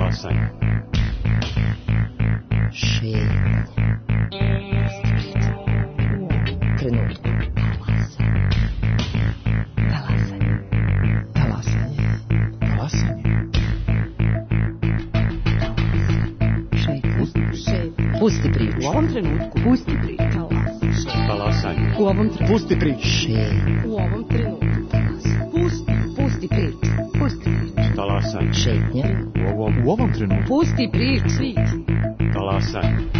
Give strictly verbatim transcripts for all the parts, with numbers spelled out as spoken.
Talasanje. Šetnje. Trenutku. Talasanje. Talasanje. Talasanje. Šetnje. Pusti priču. U ovom trenutku. Pusti priču. Talasanje. U ovom trenutku. Pusti priču. Šetnje. U ovom trenutku. Pusti, pusti priču. Pusti priču. Talasanje. Šetnje. U ovom, U ovom trenutku. Pusti priču. talasanje.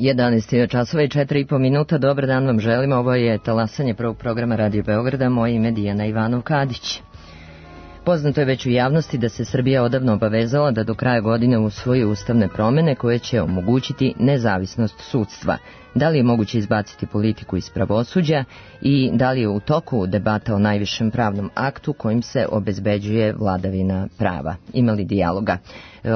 jedanaest časova i četiri i po minuta. Dobar dan vam želimo. Ovo je talasanje prvog programa Radio Beograda. Moje ime Dijana Ivanov-Kadić. Poznato je već u javnosti da se Srbija odavno obavezala da do kraja godine usvoji ustavne promene koje će omogućiti nezavisnost sudstva. Da li je moguće izbaciti politiku iz pravosuđa i da li je u toku debata o najvišem pravnom aktu kojim se obezbeđuje vladavina prava? Ima li dijaloga?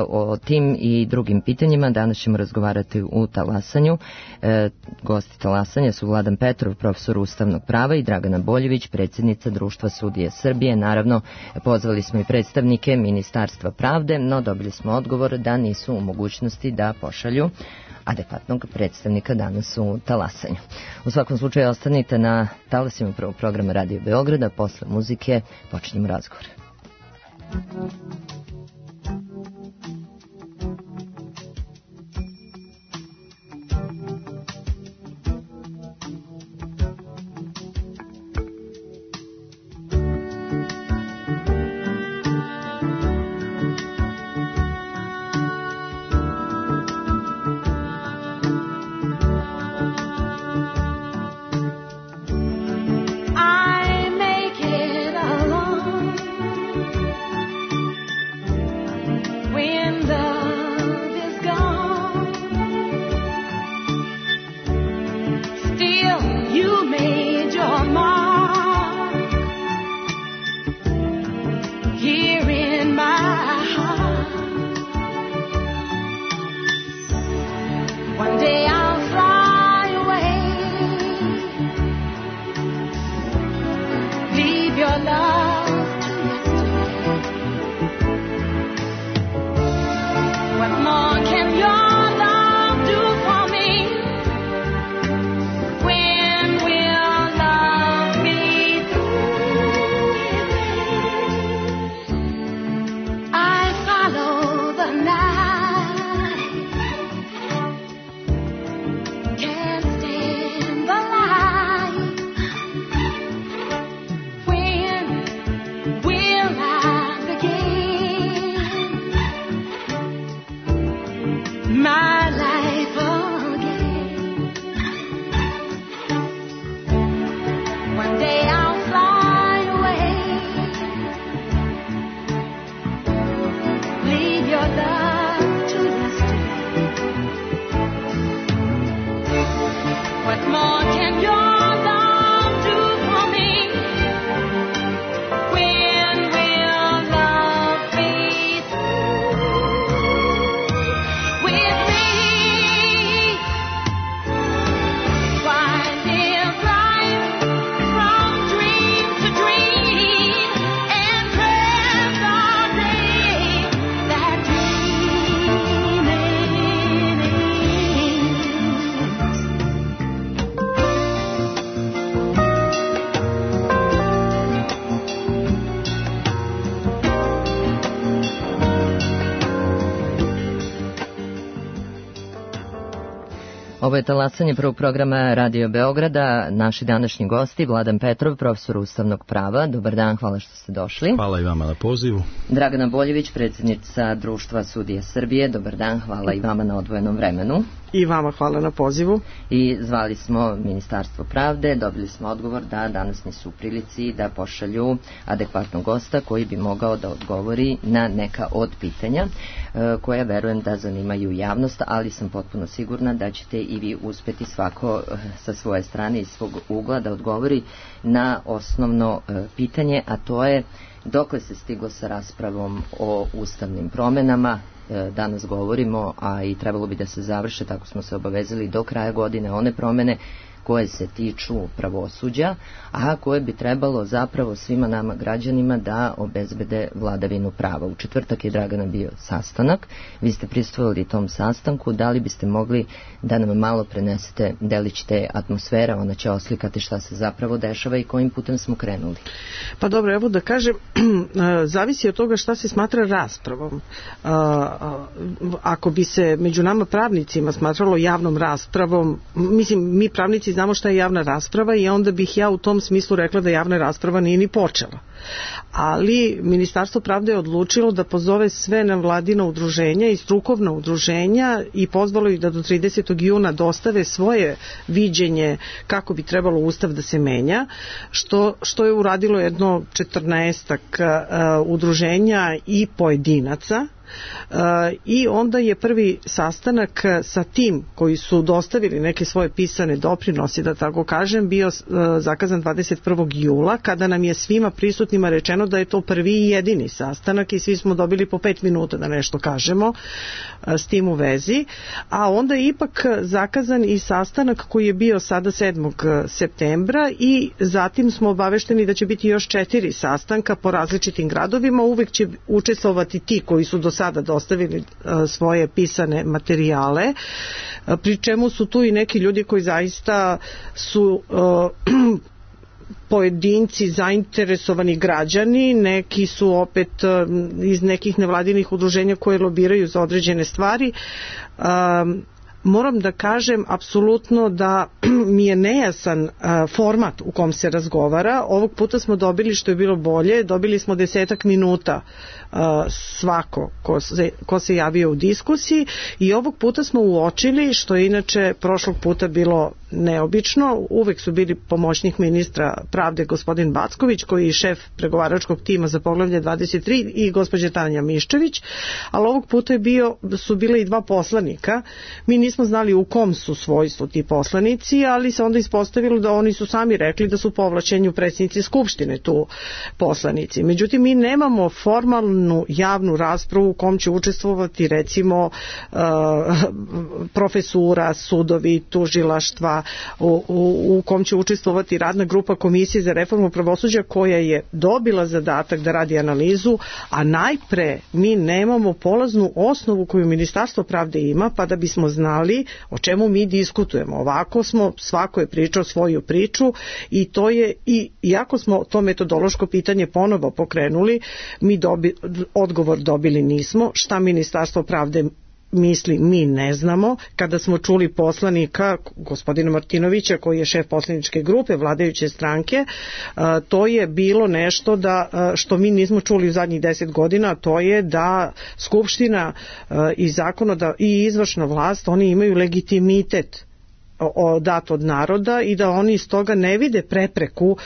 O tim i drugim pitanjima danas ćemo razgovarati u talasanju. E, gosti talasanja su Vladan Petrov, profesor ustavnog prava, i Dragana Boljević, predsjednica Društva sudije Srbije. Naravno, pozvali smo i predstavnike Ministarstva pravde, no dobili smo odgovor da nisu u mogućnosti da pošalju adekvatnog predstavnika danas u talasanju. U svakom slučaju ostanite na talasima prvog programa Radio Beograda. Posle muzike počinjemo razgovor. Ovo je talasanje prvog programa Radio Beograda. Naši današnji gosti, Vladan Petrov, profesor ustavnog prava. Dobar dan, hvala što ste došli. Hvala i vama na pozivu. Dragana Boljević, predsjednica Društva sudije Srbije. Dobar dan, hvala i vama na odvojenom vremenu. I vama hvala na pozivu. I zvali smo Ministarstvo pravde, dobili smo odgovor da danas nisu u prilici da pošalju adekvatnog gosta koji bi mogao da odgovori na neka od pitanja. koja verujem da zanimaju javnost, ali sam potpuno sigurna da ćete i vi uspjeti svako sa svoje strane i svog ugla da odgovori na osnovno pitanje, a to je dokle se stiglo sa raspravom o ustavnim promjenama. Danas govorimo, a i trebalo bi da se završe, tako smo se obavezali, do kraja godine one promjene koje se tiču pravosuđa, a koje bi trebalo zapravo svima nama građanima da obezbede vladavinu prava. U četvrtak je, Dragana, bio sastanak, vi ste prisustvovali tom sastanku, da li biste mogli da nam malo prenesete delić te atmosfera, ona će oslikati šta se zapravo dešava i kojim putem smo krenuli. Pa dobro, evo da kažem, zavisi od toga šta se smatra raspravom. Ako bi se među nama pravnicima smatralo javnom raspravom, mislim, mi pravnici znamo šta je javna rasprava i onda bih ja u tom smislu rekla da javna rasprava nije ni počela. Ali Ministarstvo pravde je odlučilo da pozove sve nevladina udruženja i strukovna udruženja i pozvalo ih da do tridesetog juna dostave svoje viđenje kako bi trebalo Ustav da se menja, što, što je uradilo jedno četrnaestak uh, udruženja i pojedinaca. Uh, i onda je prvi sastanak sa tim koji su dostavili neke svoje pisane doprinose, da tako kažem, bio uh, zakazan dvadeset prvog jula, kada nam je svima prisutnima rečeno da je to prvi i jedini sastanak i svi smo dobili po pet minuta da nešto kažemo uh, s tim u vezi, a onda je ipak zakazan i sastanak koji je bio sada sedmog septembra i zatim smo obavešteni da će biti još četiri sastanka po različitim gradovima, uvek će učestvovati ti koji su do sada dostavili uh, svoje pisane materijale, uh, pri čemu su tu i neki ljudi koji zaista su uh, pojedinci, zainteresovani građani, neki su opet uh, iz nekih nevladinih udruženja koje lobiraju za određene stvari. Uh, Moram da kažem apsolutno da mi je nejasan uh, format u kom se razgovara. Ovog puta smo dobili, što je bilo bolje, dobili smo desetak minuta uh, svako ko se, ko se javio u diskusiji i ovog puta smo uočili, što je inače prošlog puta bilo neobično, uvek su bili pomoćnik ministra pravde gospodin Backović, koji je šef pregovaračkog tima za poglavlje dvadeset tri, i gospođa Tanja Miščević, ali ovog puta je bio, su bile i dva poslanika. Mi nismo znali u kom su svojstvu ti poslanici, ali se onda ispostavilo da oni su sami rekli da su po ovlašćenju predsjednici Skupštine tu poslanici. Međutim, mi nemamo formalnu javnu raspravu u kom će učestvovati recimo uh, profesura, sudovi, tužilaštva, u, u, u kom će učestvovati radna grupa Komisije za reformu pravosuđa koja je dobila zadatak da radi analizu, a najpre mi nemamo polaznu osnovu koju Ministarstvo pravde ima, pa da bismo znali o čemu mi diskutujemo. Ovako smo, svako je pričao svoju priču i to je, i iako smo to metodološko pitanje ponovo pokrenuli, mi dobi, odgovor dobili nismo. Šta Ministarstvo pravde misli, mi ne znamo. Kada smo čuli poslanika gospodina Martinovića, koji je šef poslaničke grupe vladajuće stranke, to je bilo nešto da, što mi nismo čuli u zadnjih deset godina, to je da Skupština i zakonodavna i izvršna vlast, oni imaju legitimitet dat od naroda i da oni iz toga ne vide prepreku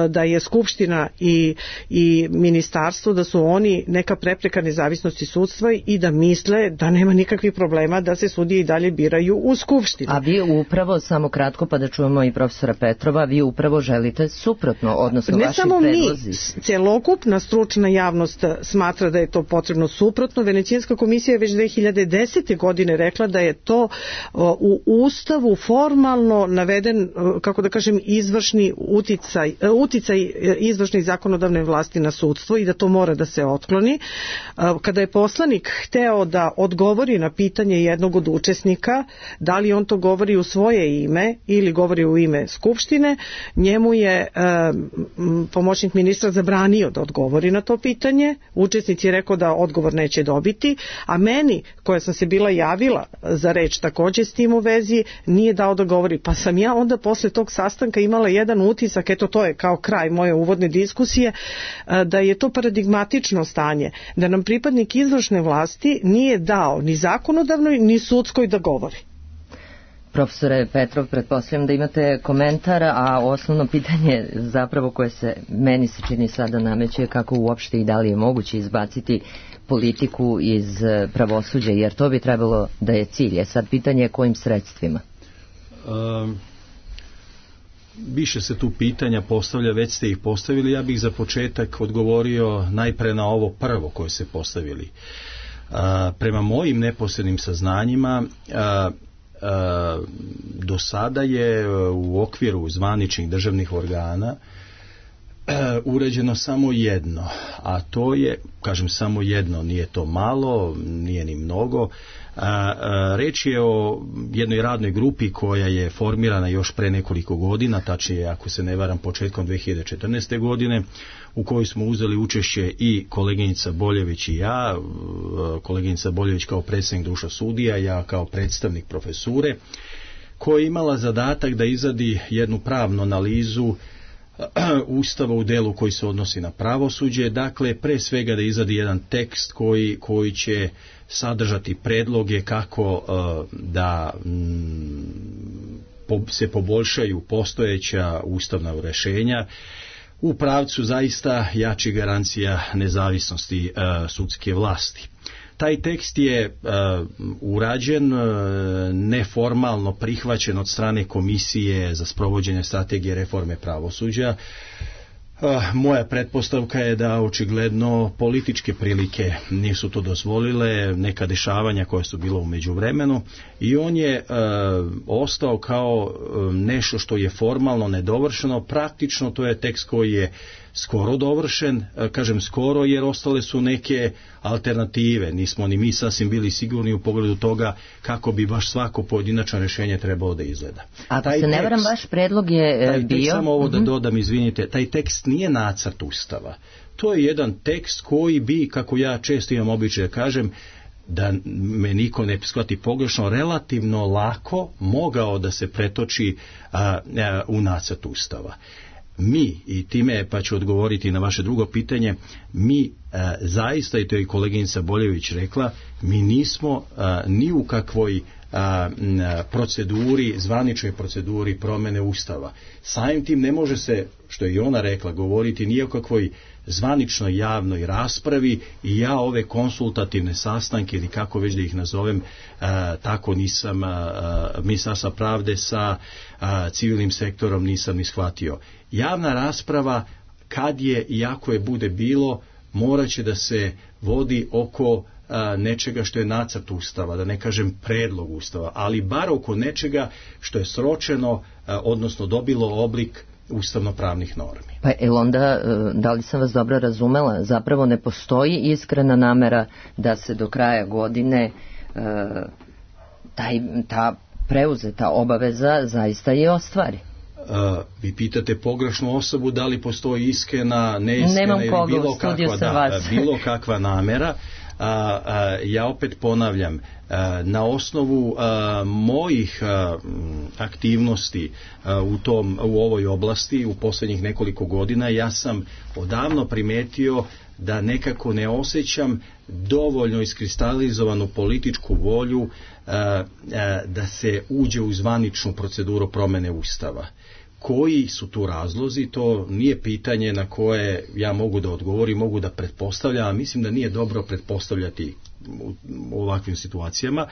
da je Skupština i, i ministarstvo, da su oni neka prepreka nezavisnosti sudstva i da misle da nema nikakvih problema da se sudije i dalje biraju u Skupštini. A vi upravo, samo kratko pa da čujemo i profesora Petrova, vi upravo želite suprotno, odnosno ne vaši samo predlozi. Mi, celokupna stručna javnost smatra da je to potrebno suprotno. Venecijanska komisija je već dve hiljade desete. godine rekla da je to u Ustavu formalno naveden, kako da kažem, izvršni uticaj, uticaj izvršne i zakonodavne vlasti na sudstvo i da to mora da se otkloni. Kada je poslanik hteo da odgovori na pitanje jednog od učesnika, da li on to govori u svoje ime ili govori u ime Skupštine, njemu je um, pomoćnik ministra zabranio da odgovori na to pitanje. Učesnik je rekao da odgovor neće dobiti, a meni, koja sam se bila javila za reč takođe s tim u vezi, nije dao da govori, pa sam ja onda posle tog sastanka imala jedan utisak, eto to je kao kraj moje uvodne diskusije, da je to paradigmatično stanje, da nam pripadnik izvršne vlasti nije dao ni zakonodavnoj ni sudskoj da govori. Profesore Petrov, pretpostavljam da imate komentar, a osnovno pitanje zapravo koje se meni se čini sada nameće je kako uopšte i da li je moguće izbaciti politiku iz pravosuđa, jer to bi trebalo da je cilj. Sad pitanje je kojim sredstvima? Um, više se tu pitanja postavlja, već ste ih postavili. Ja bih za početak odgovorio najpre na ovo prvo koje se postavili. Uh, prema mojim neposrednim saznanjima uh, uh, do sada je u okviru zvaničnih državnih organa urađeno samo jedno, a to je, kažem samo jedno, nije to malo, nije ni mnogo. Reč je o jednoj radnoj grupi koja je formirana još pre nekoliko godina, tačnije ako se ne varam početkom dve hiljade četrnaeste. godine, u kojoj smo uzeli učešće i koleginica Boljević i ja, koleginica Boljević kao predstavnik društva sudija, ja kao predstavnik profesure, koja je imala zadatak da izradi jednu pravnu analizu Ustava u delu koji se odnosi na pravosuđe, dakle pre svega da izradi jedan tekst koji, koji će sadržati predloge kako uh, da mm, po, se poboljšaju postojeća ustavna rešenja u pravcu zaista jačih garancija nezavisnosti uh, sudske vlasti. Taj tekst je uh, urađen, uh, neformalno prihvaćen od strane Komisije za sprovođenje strategije reforme pravosuđa. Uh, moja pretpostavka je da očigledno političke prilike nisu to dozvolile, neka dešavanja koja su bila u međuvremenu, i on je uh, ostao kao uh, nešto što je formalno nedovršeno. Praktično to je tekst koji je skoro dovršen, kažem skoro jer ostale su neke alternative, nismo ni mi sasvim bili sigurni u pogledu toga kako bi baš svako pojedinačno rješenje trebalo da izgleda. Ako taj se ne varam, vaš predlog je taj bio... Tekst, samo ovo da dodam, izvinite, taj tekst nije nacrt Ustava. To je jedan tekst koji bi, kako ja često imam običaj da kažem, da me niko ne shvati pogrešno, relativno lako mogao da se pretoči a, a, u nacrt Ustava. Mi, i time pa ću odgovoriti na vaše drugo pitanje, mi e, zaista, i to je koleginica Boljević rekla, mi nismo e, ni u kakvoj a, proceduri, zvaničnoj proceduri promene Ustava. Samim tim ne može se, što je i ona rekla, govoriti ni o kakvoj zvaničnoj javnoj raspravi, i ja ove konsultativne sastanke, ili kako već da ih nazovem, a, tako nisam, Ministarstva pravde sa a, civilnim sektorom nisam ni shvatio. Javna rasprava, kad je i ako je bude bilo, morat će da se vodi oko a, nečega što je nacrt Ustava, da ne kažem predlog Ustava, ali bar oko nečega što je sročeno, a, odnosno dobilo oblik ustavno-pravnih normi. Pa je onda, da li sam vas dobro razumela, zapravo ne postoji iskrena namera da se do kraja godine uh, taj, ta preuzeta obaveza zaista i ostvari? Uh, vi pitate pogrešnu osobu da li postoji iskrena, neiskrena ili bilo kakva, da, bilo kakva namera. A, a, ja opet ponavljam, a, na osnovu a, mojih a, aktivnosti a, u, tom, u ovoj oblasti u posljednjih nekoliko godina, ja sam odavno primetio da nekako ne osjećam dovoljno iskristalizovanu političku volju a, a, da se uđe u zvaničnu proceduru promene Ustava. Koji su tu razlozi, to nije pitanje na koje ja mogu da odgovorim, mogu da pretpostavljam, a mislim da nije dobro pretpostavljati u, u ovakvim situacijama.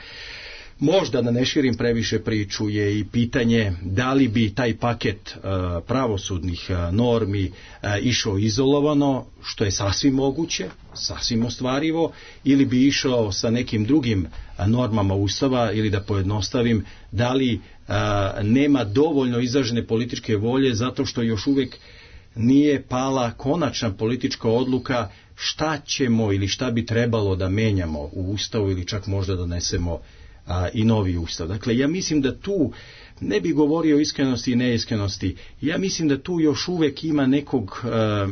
Možda da ne širim previše priču je i pitanje da li bi taj paket uh, pravosudnih uh, normi uh, išao izolovano, što je sasvim moguće, sasvim ostvarivo, ili bi išao sa nekim drugim uh, normama Ustava, ili da pojednostavim, da li uh, nema dovoljno izražene političke volje zato što još uvijek nije pala konačna politička odluka šta ćemo ili šta bi trebalo da menjamo u Ustavu, ili čak možda donesemo A, i novi Ustav. Dakle, ja mislim da tu ne bi govorio o iskrenosti i neiskrenosti. Ja mislim da tu još uvijek ima nekog, a,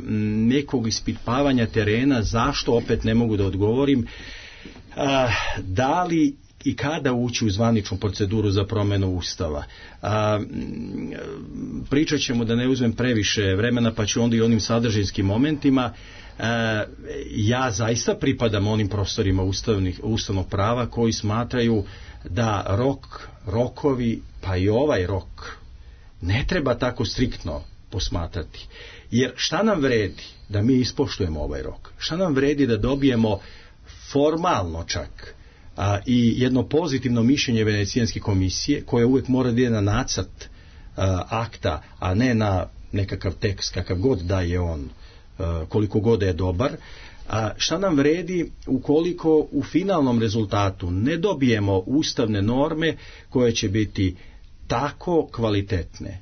nekog ispitavanja terena. Zašto, opet ne mogu da odgovorim. A, da li i kada ući u zvaničnu proceduru za promjenu Ustava. A, pričat ćemo, da ne uzmem previše vremena, pa ću onda i onim sadržinskim momentima. ja zaista pripadam onim profesorima ustavnih, ustavnog prava koji smatraju da rok, rokovi, pa i ovaj rok ne treba tako striktno posmatrati. Jer šta nam vredi da mi ispoštujemo ovaj rok? Šta nam vredi da dobijemo formalno čak a, i jedno pozitivno mišljenje Venecijanske komisije, koje uvijek mora da ide na nacrt a, akta, a ne na nekakav tekst kakav god da je on, a, koliko god je dobar. A šta nam vredi ukoliko u finalnom rezultatu ne dobijemo ustavne norme koje će biti tako kvalitetne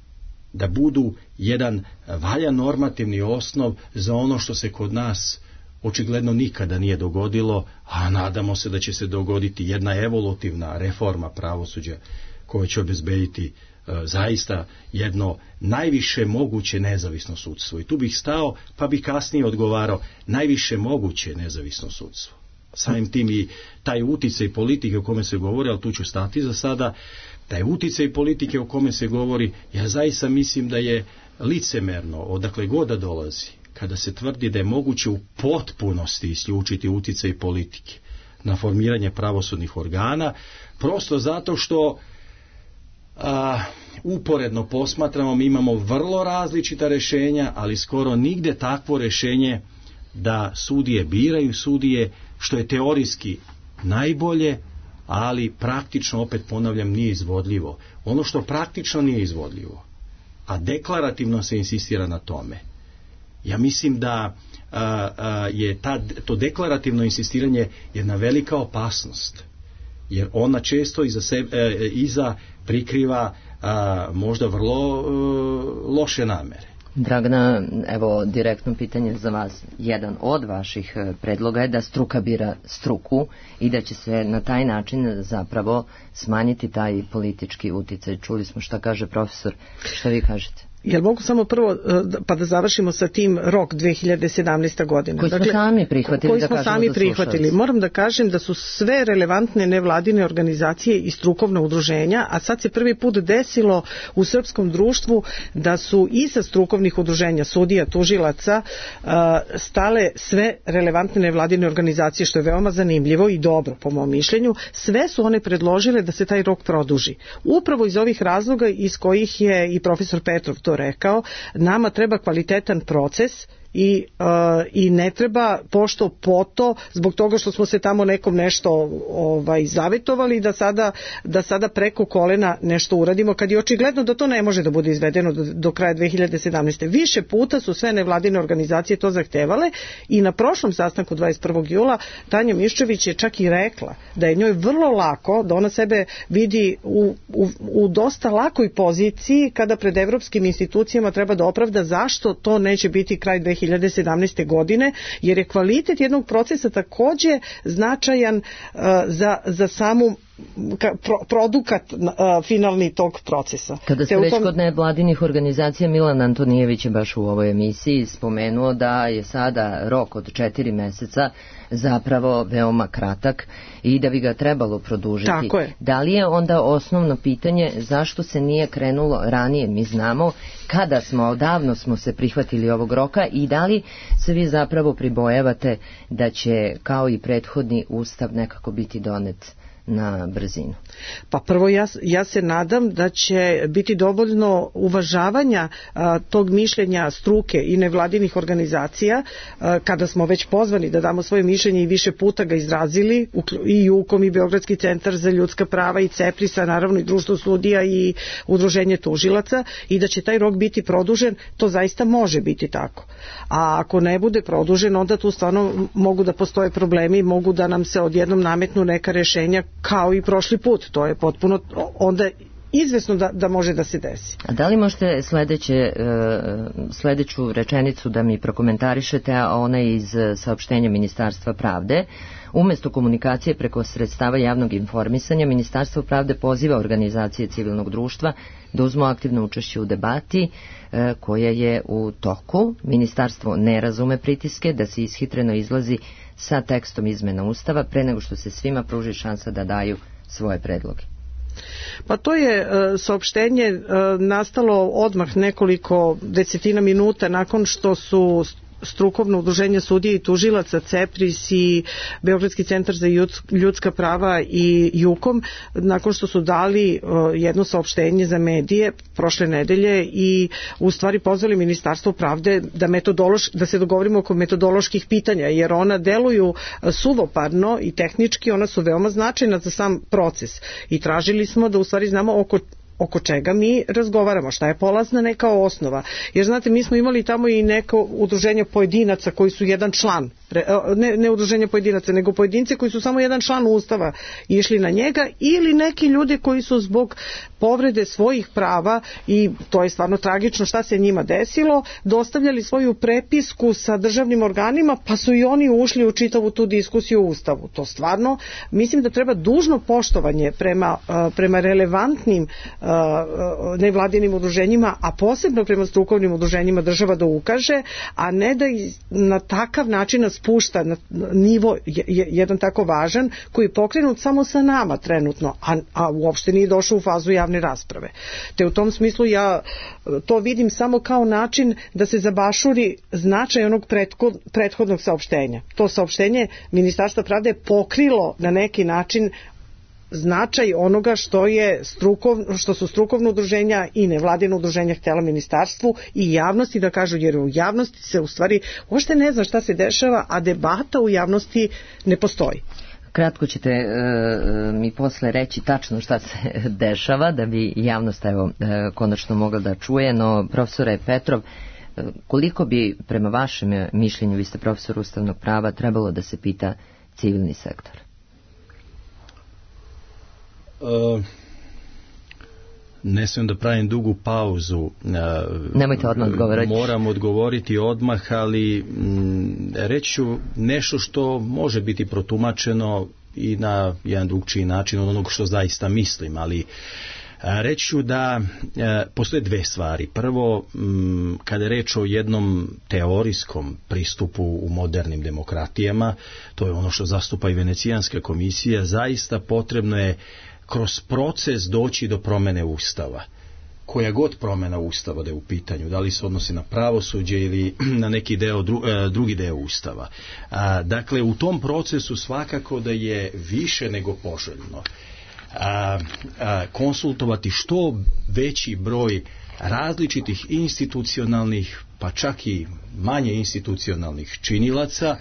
da budu jedan valjan normativni osnov za ono što se kod nas očigledno nikada nije dogodilo, a nadamo se da će se dogoditi jedna evolutivna reforma pravosuđa koja će obezbediti e, zaista jedno najviše moguće nezavisno sudstvo. I tu bih stao, pa bih kasnije odgovarao, najviše moguće nezavisno sudstvo. Samim tim i taj uticaj politike o kome se govori, ali tu ću stati za sada, taj uticaj politike o kome se govori, ja zaista mislim da je licemerno, odakle god da dolazi, kada se tvrdi da je moguće u potpunosti isključiti uticaj politike na formiranje pravosudnih organa, prosto zato što a, uporedno posmatramo, mi imamo vrlo različita rešenja, ali skoro nigde takvo rešenje da sudije biraju sudije, što je teorijski najbolje, ali praktično, opet ponavljam, nije izvodljivo. Ono što praktično nije izvodljivo, a deklarativno se insistira na tome, ja mislim da a, a, je ta, to deklarativno insistiranje jedna velika opasnost, jer ona često iza, sebe, e, iza prikriva a, možda vrlo e, loše namere. Dragana, evo direktno pitanje za vas. Jedan od vaših predloga je da struka bira struku i da će se na taj način zapravo smanjiti taj politički uticaj. Čuli smo šta kaže profesor. Šta vi kažete? Jel mogu samo prvo, pa da završimo sa tim rok dve hiljade sedamnaeste. godine. Koji smo dakle, sami prihvatili. Koji da smo sami prihvatili. Moram da kažem da su sve relevantne nevladine organizacije i strukovna udruženja, a sad se prvi put desilo u srpskom društvu da su iza strukovnih udruženja, sudija, tužilaca, stale sve relevantne nevladine organizacije, što je veoma zanimljivo i dobro po mom mišljenju. Sve su one predložile da se taj rok produži. Upravo iz ovih razloga iz kojih je i profesor Petrov to rekao, nama treba kvalitetan proces i, uh, i ne treba pošto poto zbog toga što smo se tamo nekom nešto ovaj, zavetovali da sada, da sada preko kolena nešto uradimo, kad je očigledno da to ne može da bude izvedeno do, do kraja dve hiljade sedamnaeste. Više puta su sve nevladine organizacije to zahtevale i na prošlom sastanku dvadeset prvog jula Tanja Miščević je čak i rekla da je njoj vrlo lako, da ona sebe vidi u, u, u dosta lakoj poziciji kada pred evropskim institucijama treba da opravda zašto to neće biti kraj dve hiljade sedamnaeste. godine, jer je kvalitet jednog procesa takođe značajan uh, za, za samu ka, pro, produkat uh, finalni tog procesa. Kada ste već tom... kod nevladinih organizacija, Milan Antonijević je baš u ovoj emisiji spomenuo da je sada rok od četiri meseca zapravo veoma kratak i da bi ga trebalo produžiti. Tako je. Da li je onda osnovno pitanje zašto se nije krenulo ranije? Mi znamo kada smo, odavno smo se prihvatili ovog roka i da li se vi zapravo pribojavate da će kao i prethodni ustav nekako biti donet na brzinu? Pa prvo ja, ja se nadam da će biti dovoljno uvažavanja a, tog mišljenja struke i nevladinih organizacija a, kada smo već pozvani da damo svoje mišljenje i više puta ga izrazili i Jukom i Beogradski centar za ljudska prava i CEPRIS-a, naravno i Društvo sudija i Udruženje tužilaca, i da će taj rok biti produžen. To zaista može biti tako. A ako ne bude produžen, onda tu stvarno mogu da postoje problemi, mogu da nam se odjednom nametnu neka rešenja kao i prošli put. To je potpuno onda izvesno da, da može da se desi. A da li možete sledeće, sledeću rečenicu da mi prokomentarišete, a ona je iz saopštenja Ministarstva pravde? Umesto komunikacije preko sredstava javnog informisanja, Ministarstvo pravde poziva organizacije civilnog društva da uzmu aktivno učešće u debati e, koja je u toku. Ministarstvo ne razume pritiske da se ishitreno izlazi sa tekstom izmena Ustava pre nego što se svima pruži šansa da daju svoje predloge. Pa to je e, saopštenje e, nastalo odmah nekoliko desetina minuta nakon što su strukovno udruženje sudija i tužilaca, CEPRIS i Beogradski centar za ljudska prava i JUKOM, nakon što su dali jedno saopštenje za medije prošle nedelje i u stvari pozvali Ministarstvo pravde da, metodološ, da se dogovorimo oko metodoloških pitanja, jer ona deluju suvoparno i tehnički, ona su veoma značajna za sam proces i tražili smo da u stvari znamo oko oko čega mi razgovaramo, šta je polazna neka osnova. Jer znate, mi smo imali tamo i neko udruženje pojedinaca koji su jedan član, ne, ne udruženje pojedinaca, nego pojedinci koji su samo jedan član Ustava išli na njega, ili neki ljudi koji su zbog povrede svojih prava, i to je stvarno tragično šta se njima desilo, dostavljali svoju prepisku sa državnim organima, pa su i oni ušli u čitavu tu diskusiju o Ustavu. To stvarno, mislim da treba dužno poštovanje prema, prema relevantnim nevladinim udruženjima, a posebno prema strukovnim udruženjima država da ukaže, a ne da na takav način nas spušta na nivo jedan tako važan, koji je pokrenut samo sa nama trenutno, a, a uopšte nije došao u fazu javne rasprave. Te u tom smislu ja to vidim samo kao način da se zabašuri značaj onog prethodnog saopštenja. To saopštenje Ministarstva pravde je pokrilo na neki način značaj onoga što je strukovno, što su strukovno udruženja i nevladino udruženja htjela ministarstvu i javnosti da kažu, jer u javnosti se u stvari uopšte ne zna šta se dešava, a debata u javnosti ne postoji. Kratko ćete e, mi posle reći tačno šta se dešava, da bi javnost evo, e, konačno mogla da čuje, no profesore Petrov, e, koliko bi prema vašem mišljenju, vi ste profesor ustavnog prava, trebalo da se pita civilni sektor? Uh, ne smijem da pravim dugu pauzu. Uh, Nemojte odmah odgovoriti. Moram odgovoriti odmah, ali m, reći ću nešto što može biti protumačeno i na jedan drugčiji način od onog što zaista mislim, ali reći ću da e, postoje dve stvari. Prvo, m, kada je reč o jednom teorijskom pristupu u modernim demokratijama, to je ono što zastupa i Venecijanska komisija, zaista potrebno je kroz proces doći do promene Ustava. Koja god promjena Ustava da je u pitanju, da li se odnosi na pravosuđe ili na neki deo, dru, drugi deo Ustava. A, dakle, u tom procesu svakako da je više nego poželjno a, a, konsultovati što veći broj različitih institucionalnih, pa čak i manje institucionalnih činilaca,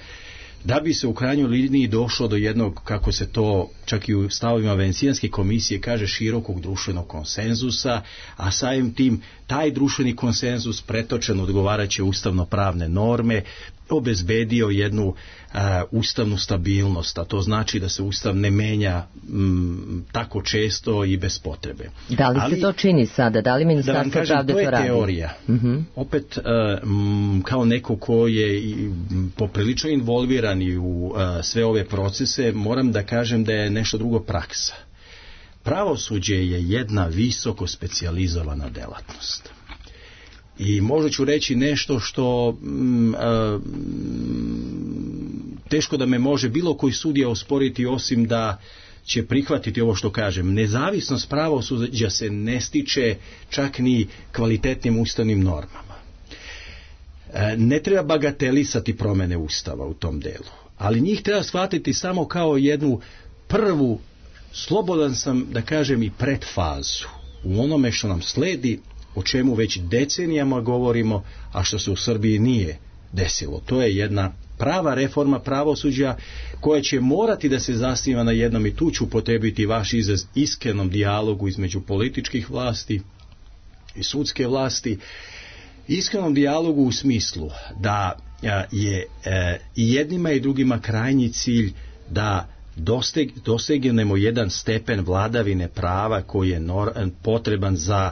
da bi se u krajnjoj liniji došlo do jednog, kako se to čak i u stavovima Venecijanske komisije kaže, širokog društvenog konsenzusa, a samim tim taj društveni konsenzus pretočen odgovarajuće ustavno-pravne norme obezbedio jednu a, ustavnu stabilnost, a to znači da se Ustav ne menja m, tako često i bez potrebe. Da li Ali, se to čini sada? Da li Ministarstvo kažem, pravde to radi? To je teorija. Uh-huh. Opet, a, m, kao neko ko je i, poprilično involviran i u a, sve ove procese, moram da kažem da je nešto drugo praksa. Pravosuđe je jedna visoko specijalizovana delatnost. I možda ću reći nešto što mm, a, teško da me može bilo koji sudija osporiti, osim da će prihvatiti ovo što kažem. Nezavisnost pravosuđa se ne stiče čak ni kvalitetnim ustavnim normama. E, ne treba bagatelisati promjene Ustava u tom delu, ali njih treba shvatiti samo kao jednu prvu, slobodan sam da kažem, i predfazu u onome što nam sledi, o čemu već decenijama govorimo, a što se u Srbiji nije desilo. To je jedna prava reforma pravosuđa koja će morati da se zasniva na jednom, i tu ću upotrijebiti vaš izraz, iskrenom dijalogu između političkih vlasti i sudske vlasti. Iskrenom dijalogu u smislu da je i jednima i drugima krajnji cilj da dosteg, dosegnemo jedan stepen vladavine prava koji je nor, potreban za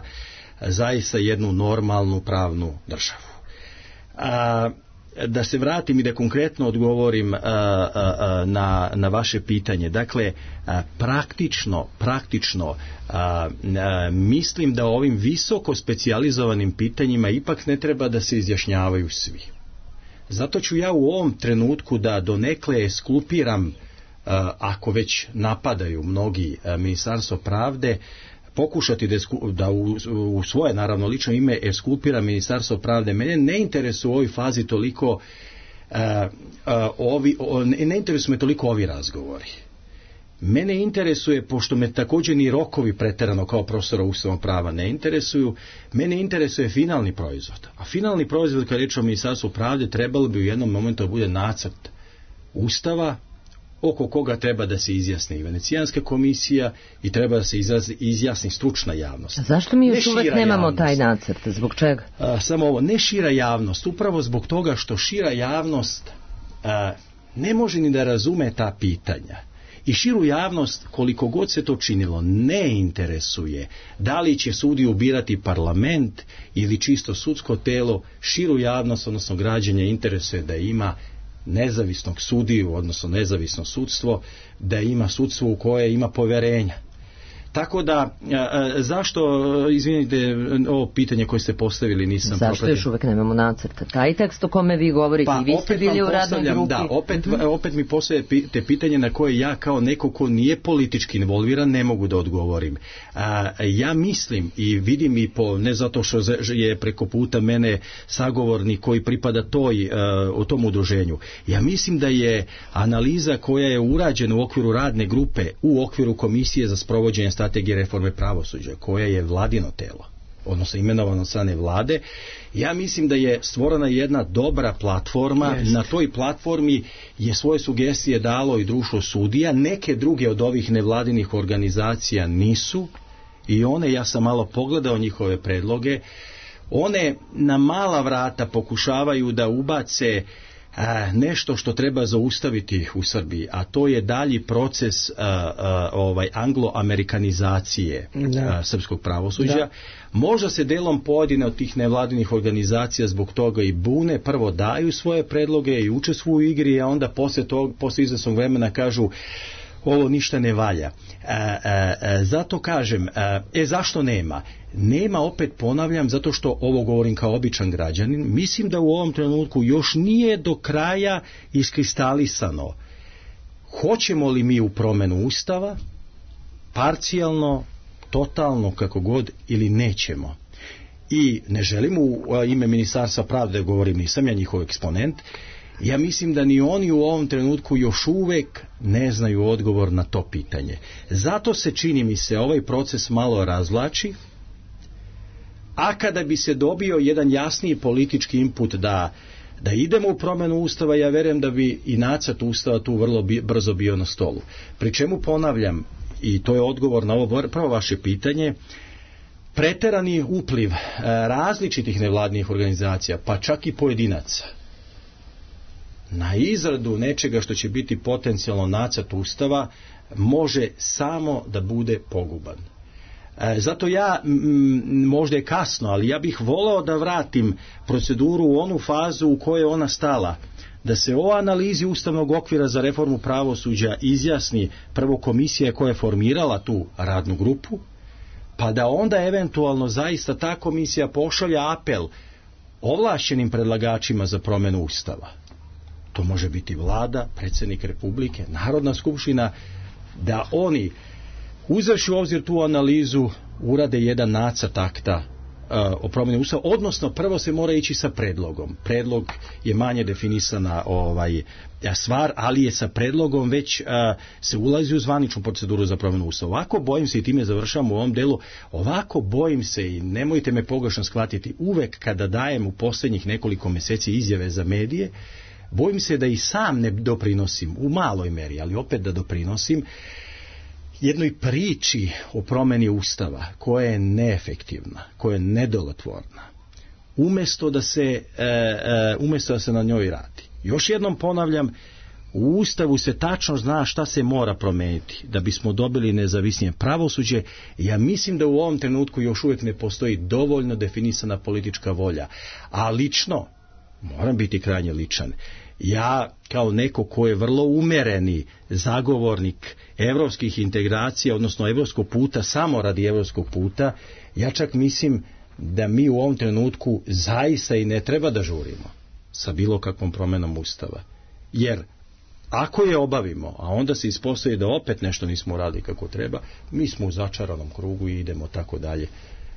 zaista jednu normalnu pravnu državu. A, da se vratim i da konkretno odgovorim a, a, a, na, na vaše pitanje. Dakle, a, praktično, praktično a, a, mislim da ovim visoko specijalizovanim pitanjima ipak ne treba da se izjašnjavaju svi. Zato ću ja u ovom trenutku da donekle esklupiram, a, ako već napadaju mnogi a, Ministarstvo pravde, pokušati da, da u, u svoje naravno lično ime eskulpira Ministarstvo pravde. Mene ne interesuje u ovoj fazi toliko uh, uh, ovi, o, ne, ne interesuje me toliko ovi razgovori. Mene interesuje, pošto me također ni rokovi preterano kao profesora ustavnog prava ne interesuju, mene interesuje finalni proizvod. A finalni proizvod, kad reč o Ministarstvu pravde, trebalo bi u jednom momentu da bude nacrt Ustava oko koga treba da se izjasni i Venecijanska komisija i treba da se izrazi, izjasni stručna javnost. A zašto mi još ne uvek nemamo javnost. taj nacrt? Zbog čega? A, samo ovo, ne šira javnost, upravo zbog toga što šira javnost a, ne može ni da razume ta pitanja. I širu javnost, koliko god se to činilo, ne interesuje da li će sudiju birati parlament ili čisto sudsko telo. Širu javnost, odnosno građanje, interesuje da ima nezavisnog sudiju, odnosno nezavisno sudstvo, da ima sudstvo u koje ima poverenja. Tako da, a, zašto, izvinite, ovo pitanje koje ste postavili nisam Zašto propratio. Još uvek nemamo nacrta? Taj tekst o kome vi govorite, pa, i vi ste bili u radnoj grupi. Da, opet, uh-huh. opet mi postavljate pitanje na koje ja kao neko ko nije politički involviran ne mogu da odgovorim. A, ja mislim i vidim i po, ne zato što je preko puta mene sagovornik koji pripada toj, a, o tom udruženju. Ja mislim da je analiza koja je urađena u okviru radne grupe, u okviru Komisije za sprovođenje strategije reforme pravosuđa, koja je vladino telo, odnosno imenovano od strane vlade, ja mislim da je stvorena jedna dobra platforma. Jest. Na toj platformi je svoje sugestije dalo i društvo sudija, neke druge od ovih nevladinih organizacija nisu, i one, ja sam malo pogledao njihove predloge, one na mala vrata pokušavaju da ubace a, nešto što treba zaustaviti u Srbiji, a to je dalji proces a, a, ovaj anglo-amerikanizacije a, srpskog pravosuđa. Da. Možda se delom pojedine od tih nevladinih organizacija zbog toga i bune, prvo daju svoje predloge i učestvuju u igri, a onda posle tog, posle izvesnog vremena kažu ovo ništa ne valja. E, e, e, zato kažem, e, e zašto nema? Nema, opet ponavljam, zato što ovo govorim kao običan građanin, mislim da u ovom trenutku još nije do kraja iskristalisano hoćemo li mi u promenu Ustava, parcijalno, totalno, kako god, ili nećemo. I ne želim u ime Ministarstva pravde govorim, nisam ja njihov eksponent. Ja mislim da ni oni u ovom trenutku još uvek ne znaju odgovor na to pitanje. Zato se, čini mi se, ovaj proces malo razvlači, a kada bi se dobio jedan jasniji politički input da, da idemo u promjenu Ustava, ja verujem da bi i nacrt Ustava tu vrlo bi, brzo bio na stolu. Pri čemu ponavljam, i to je odgovor na ovo prvo vaše pitanje, preterani upliv različitih nevladnih organizacija, pa čak i pojedinaca, na izradu nečega što će biti potencijalno nacrt Ustava, može samo da bude poguban. E, zato ja, m, možda je kasno, ali ja bih voleo da vratim proceduru u onu fazu u kojoj je ona stala. Da se o analizi ustavnog okvira za reformu pravosuđa izjasni prvo komisija koja je formirala tu radnu grupu, pa da onda eventualno zaista ta komisija pošalja apel ovlašćenim predlagačima za promjenu Ustava. To može biti vlada, predsjednik Republike, Narodna skupština, da oni uzevši u obzir tu analizu urade jedan nacrt akta uh, o promjeni Ustava, odnosno prvo se mora ići sa predlogom. Predlog je manje definisana ovaj, stvar, ali je sa predlogom već uh, se ulazi u zvaničnu proceduru za promjenu Ustava. Ovako bojim se, i time završam u ovom delu, ovako bojim se, i nemojte me pogrešno shvatiti, uvek kada dajem u posljednjih nekoliko mjeseci izjave za medije, bojim se da i sam ne doprinosim, u maloj meri, ali opet da doprinosim jednoj priči o promjeni Ustava koja je neefektivna, koja je nedjelotvorna, umjesto da se, e, e, umjesto da se na njoj radi. Još jednom ponavljam, u Ustavu se tačno zna šta se mora promijeniti da bismo dobili nezavisnije pravosuđe. Ja mislim da u ovom trenutku još uvijek ne postoji dovoljno definisana politička volja. A lično, moram biti krajnje ličan, ja kao neko ko je vrlo umereni zagovornik evropskih integracija, odnosno evropskog puta, samo radi evropskog puta, ja čak mislim da mi u ovom trenutku zaista i ne treba da žurimo sa bilo kakvom promjenom Ustava. Jer Ako je obavimo, a onda se ispostavi da opet nešto nismo uradili kako treba, mi smo u začaranom krugu i idemo tako dalje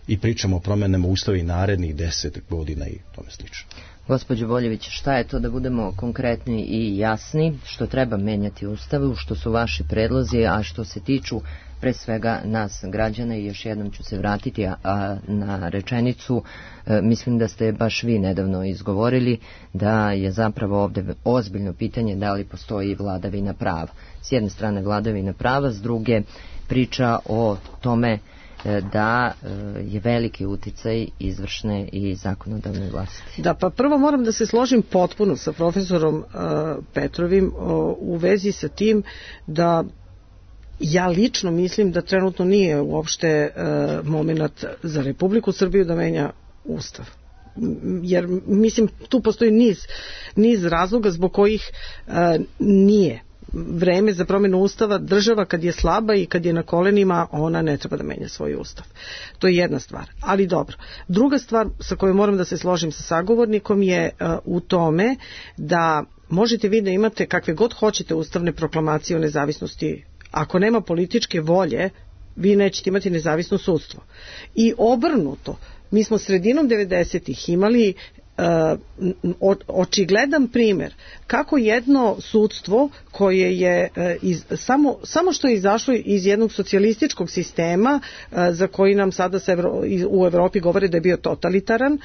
i pričamo o promjenama Ustava i narednih deset godina i tome slično. Gospođo Boljević, šta je to, da budemo konkretni i jasni, što treba menjati u Ustavu, što su vaši predlozi, a što se tiču pre svega nas građana, i još jednom ću se vratiti a, a, na rečenicu, e, mislim da ste baš vi nedavno izgovorili da je zapravo ovde ozbiljno pitanje da li postoji vladavina prava. S jedne strane vladavina prava, s druge priča o tome da je veliki uticaj izvršne i zakonodavne vlasti. Da, pa prvo moram da se složim potpuno sa profesorom uh, Petrovim uh, u vezi sa tim da ja lično mislim da trenutno nije uopšte uh, moment za Republiku Srbiju da menja Ustav. Jer mislim tu postoji niz, niz razloga zbog kojih uh, nije vreme za promjenu Ustava. Država kad je slaba i kad je na kolenima, ona ne treba da menja svoj Ustav. To je jedna stvar. Ali dobro. Druga stvar sa kojom moram da se složim sa sagovornikom je uh, u tome da možete vi da imate kakve god hoćete ustavne proklamacije o nezavisnosti. Ako nema političke volje, vi nećete imati nezavisno sudstvo. I obrnuto, mi smo sredinom devedesetih imali Uh, očigledan primjer kako jedno sudstvo koje je uh, iz, samo, samo što je izašlo iz jednog socijalističkog sistema uh, za koji nam sada se Evro, u Evropi govore da je bio totalitaran,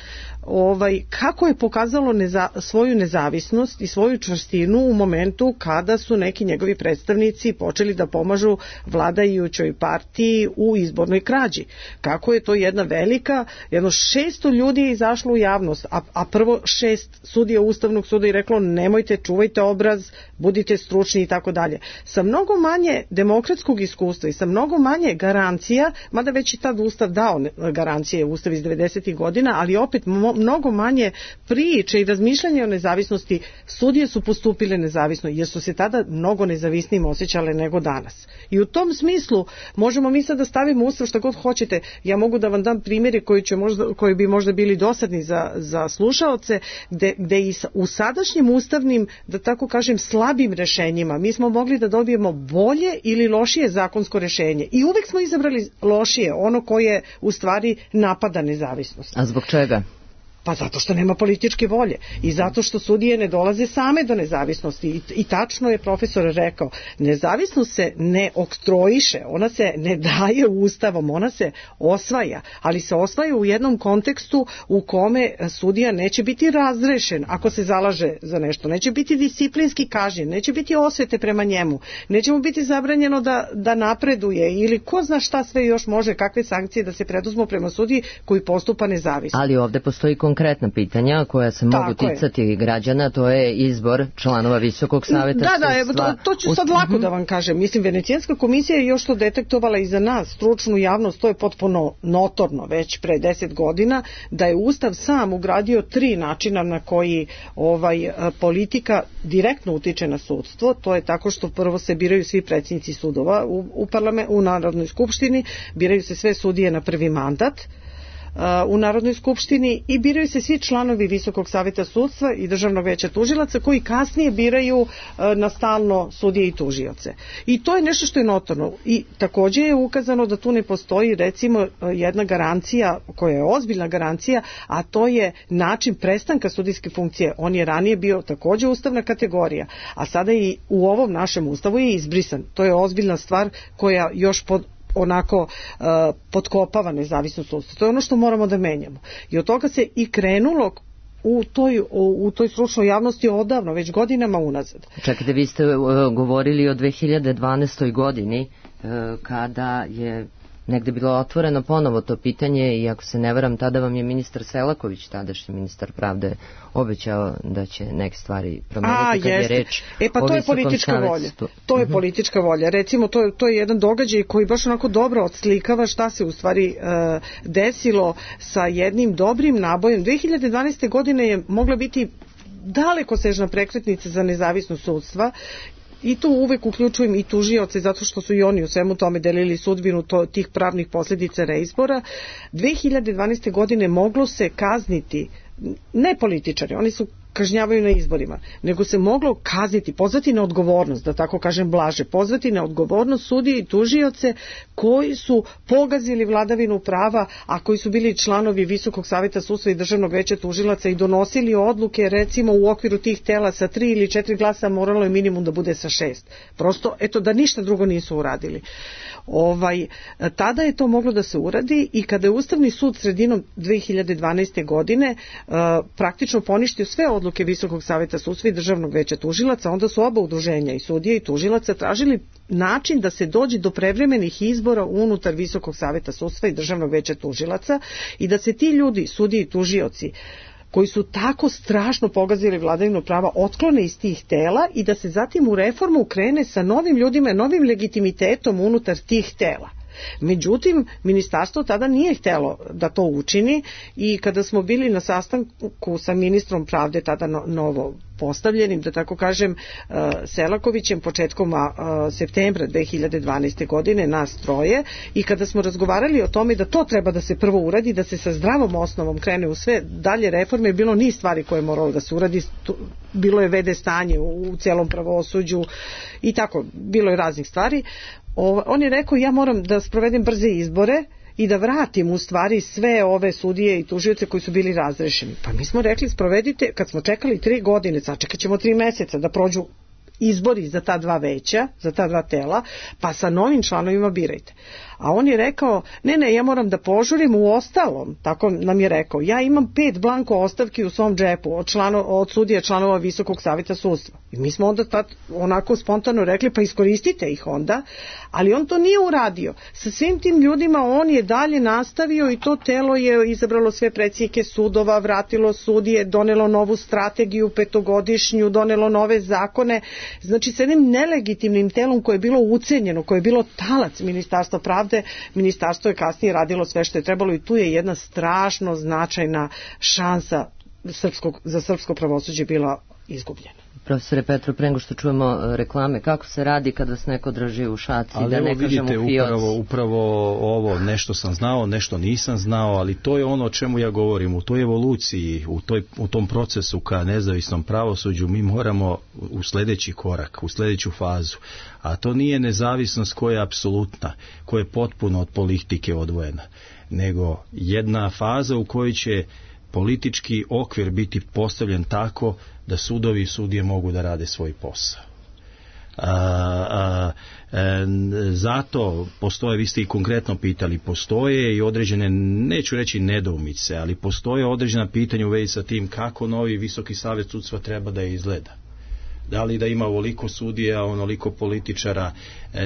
ovaj, kako je pokazalo neza, svoju nezavisnost i svoju čvrstinu u momentu kada su neki njegovi predstavnici počeli da pomažu vladajućoj partiji u izbornoj krađi. Kako je to jedna velika, jedno šesto ljudi je izašlo u javnost, a a prvo šest sudija Ustavnog suda i reklo nemojte, čuvajte obraz, budite stručni i tako dalje. Sa mnogo manje demokratskog iskustva i sa mnogo manje garancija, mada već i tad Ustav dao garancije, Ustav iz devedesetih godina, ali opet mnogo manje priče i razmišljanja o nezavisnosti, sudije su postupile nezavisno jer su se tada mnogo nezavisnijim osjećale nego danas. I u tom smislu možemo mi sad da stavimo Ustav šta god hoćete. Ja mogu da vam dam primjere koji, će možda, koji bi možda bili dosadni za, za slušaoce, gde, gde i u sadašnjim ustavnim, da tako kažem, slabim rešenjima mi smo mogli da dobijemo bolje ili lošije zakonsko rešenje. I uvek smo izabrali lošije, ono koje u stvari napada nezavisnost. A zbog čega? Pa zato što nema političke volje i zato što sudije ne dolaze same do nezavisnosti. I, i tačno je profesor rekao, nezavisnost se ne oktroiše, ona se ne daje Ustavom, ona se osvaja, ali se osvaja u jednom kontekstu u kome sudija neće biti razrešen ako se zalaže za nešto, neće biti disciplinski kažnjen, neće biti osvete prema njemu, neće mu biti zabranjeno da, da napreduje ili ko zna šta sve još može, kakve sankcije da se preduzmu prema sudiji koji postupa nezavisno. Ali ovde postoji konkretna pitanja koja se mogu Tako ticati je. građana, to je izbor članova Visokog saveta da, sudstva. Da, evo, to, to ću sad lako da vam kažem. Mislim, Venecijanska komisija je još to detektovala i za nas, stručnu javnost, to je potpuno notorno već pre deset godina, da je Ustav sam ugradio tri načina na koji ovaj politika direktno utiče na sudstvo. To je tako što prvo se biraju svi predsjednici sudova u, u, parlament, u Narodnoj skupštini, biraju se sve sudije na prvi mandat u Narodnoj skupštini i biraju se svi članovi Visokog saveta sudstva i Državnog veća tužilaca koji kasnije biraju na stalno sudije i tužioce. I to je nešto što je notorno. I takođe je ukazano da tu ne postoji recimo jedna garancija koja je ozbiljna garancija, a to je način prestanka sudijske funkcije. On je ranije bio takođe ustavna kategorija, a sada i u ovom našem ustavu je izbrisan. To je ozbiljna stvar koja još pod onako uh, potkopava nezavisnost sudstva. To je ono što moramo da menjamo. I od toga se i krenulo u toj, u, u toj stručnoj javnosti odavno, već godinama unazad. Čekajte, vi ste uh, govorili o dve hiljade dvanaestoj godini uh, kada je negde bilo otvoreno ponovo to pitanje i ako se ne varam, tada vam je ministar Selaković, tadašnji ministar pravde, obećao da će neke stvari promeniti kad je reč e, pa o to je Visokom politička savetu. volja. To je uh-huh. politička volja. Recimo, to je, to je jedan događaj koji baš onako dobro odslikava šta se u stvari uh, desilo sa jednim dobrim nabojem. dve hiljade dvanaeste. godine je mogla biti dalekosežna prekretnica za nezavisnost sudstva. I tu uvek uključujem i tužioce zato što su i oni u svemu tome delili sudbinu to, tih pravnih posljedica reizbora. dve hiljade dvanaeste. godine moglo se kazniti ne političari, oni su kažnjavaju na izborima, nego se moglo kazniti, pozvati na odgovornost, da tako kažem blaže, pozvati na odgovornost sudije i tužioce koji su pogazili vladavinu prava, a koji su bili članovi Visokog saveta sudstva i Državnog veća tužilaca i donosili odluke, recimo u okviru tih tela sa tri ili četiri glasa, moralo je minimum da bude sa šest. Prosto, eto, da ništa drugo nisu uradili. Ovaj, tada je to moglo da se uradi i kada je Ustavni sud sredinom dve hiljade dvanaeste. godine uh, praktično poništio sve odluke Visokog saveta sudstva i Državnog veća tužilaca, onda su oba udruženja, i sudije i tužilaca, tražili način da se dođe do prevremenih izbora unutar Visokog saveta sudstva i Državnog veća tužilaca i da se ti ljudi, sudije i tužioci, koji su tako strašno pogazili vladavinu prava, otklone iz tih tela i da se zatim u reformu krene sa novim ljudima, novim legitimitetom unutar tih tela. Međutim, ministarstvo tada nije htjelo da to učini i kada smo bili na sastanku sa ministrom pravde, tada novo postavljenim, da tako kažem, Selakovićem, početkom septembra dve hiljade dvanaeste. godine, nas troje, i kada smo razgovarali o tome da to treba da se prvo uradi, da se sa zdravom osnovom krene u sve dalje reforme, bilo niz stvari koje je moralo da se uradi, bilo je vede stanje u celom pravosuđu i tako, bilo je raznih stvari. On je rekao, ja moram da sprovedem brze izbore i da vratim u stvari sve ove sudije i tužioce koji su bili razrešeni. Pa mi smo rekli, sprovedite, kad smo čekali tri godine, sačekat ćemo tri meseca da prođu izbori za ta dva veća, za ta dva tela, pa sa novim članovima birajte. A on je rekao, ne, ne, ja moram da požurim, u ostalom, tako nam je rekao, ja imam pet blanko ostavki u svom džepu od, člano, od sudija članova Visokog saveta sudstva. I mi smo onda tad onako spontano rekli, pa iskoristite ih onda, ali on to nije uradio. Sa svim tim ljudima on je dalje nastavio i to telo je izabralo sve predsjednike sudova, vratilo sudije, donelo novu strategiju petogodišnju, donelo nove zakone, znači s jednim nelegitimnim telom koje je bilo ucenjeno, koje je bilo talac Ministarstva pravde. Ministarstvo je kasnije radilo sve što je trebalo i tu je jedna strašno značajna šansa srpskog, za srpsko pravosuđe bila izgubljena. Profesore Petro, pre nego što čujemo reklame, kako se radi kada se neko drži u šaci, ali da ne vidite, kažem u fioci? Upravo, upravo ovo, nešto sam znao, nešto nisam znao, ali to je ono o čemu ja govorim, u toj evoluciji, u, toj, u tom procesu ka nezavisnom pravosuđu mi moramo u sljedeći korak, u sljedeću fazu, a to nije nezavisnost koja je apsolutna, koja je potpuno od politike odvojena, nego jedna faza u kojoj će politički okvir biti postavljen tako da sudovi i sudije mogu da rade svoj posao. A, a, a, zato postoje, vi ste i konkretno pitali, postoje i određene, neću reći nedoumice, ali postoje određena pitanja u vezi sa tim kako novi Visoki savjet sudstva treba da izgleda. Da li da ima ovoliko sudija, onoliko političara,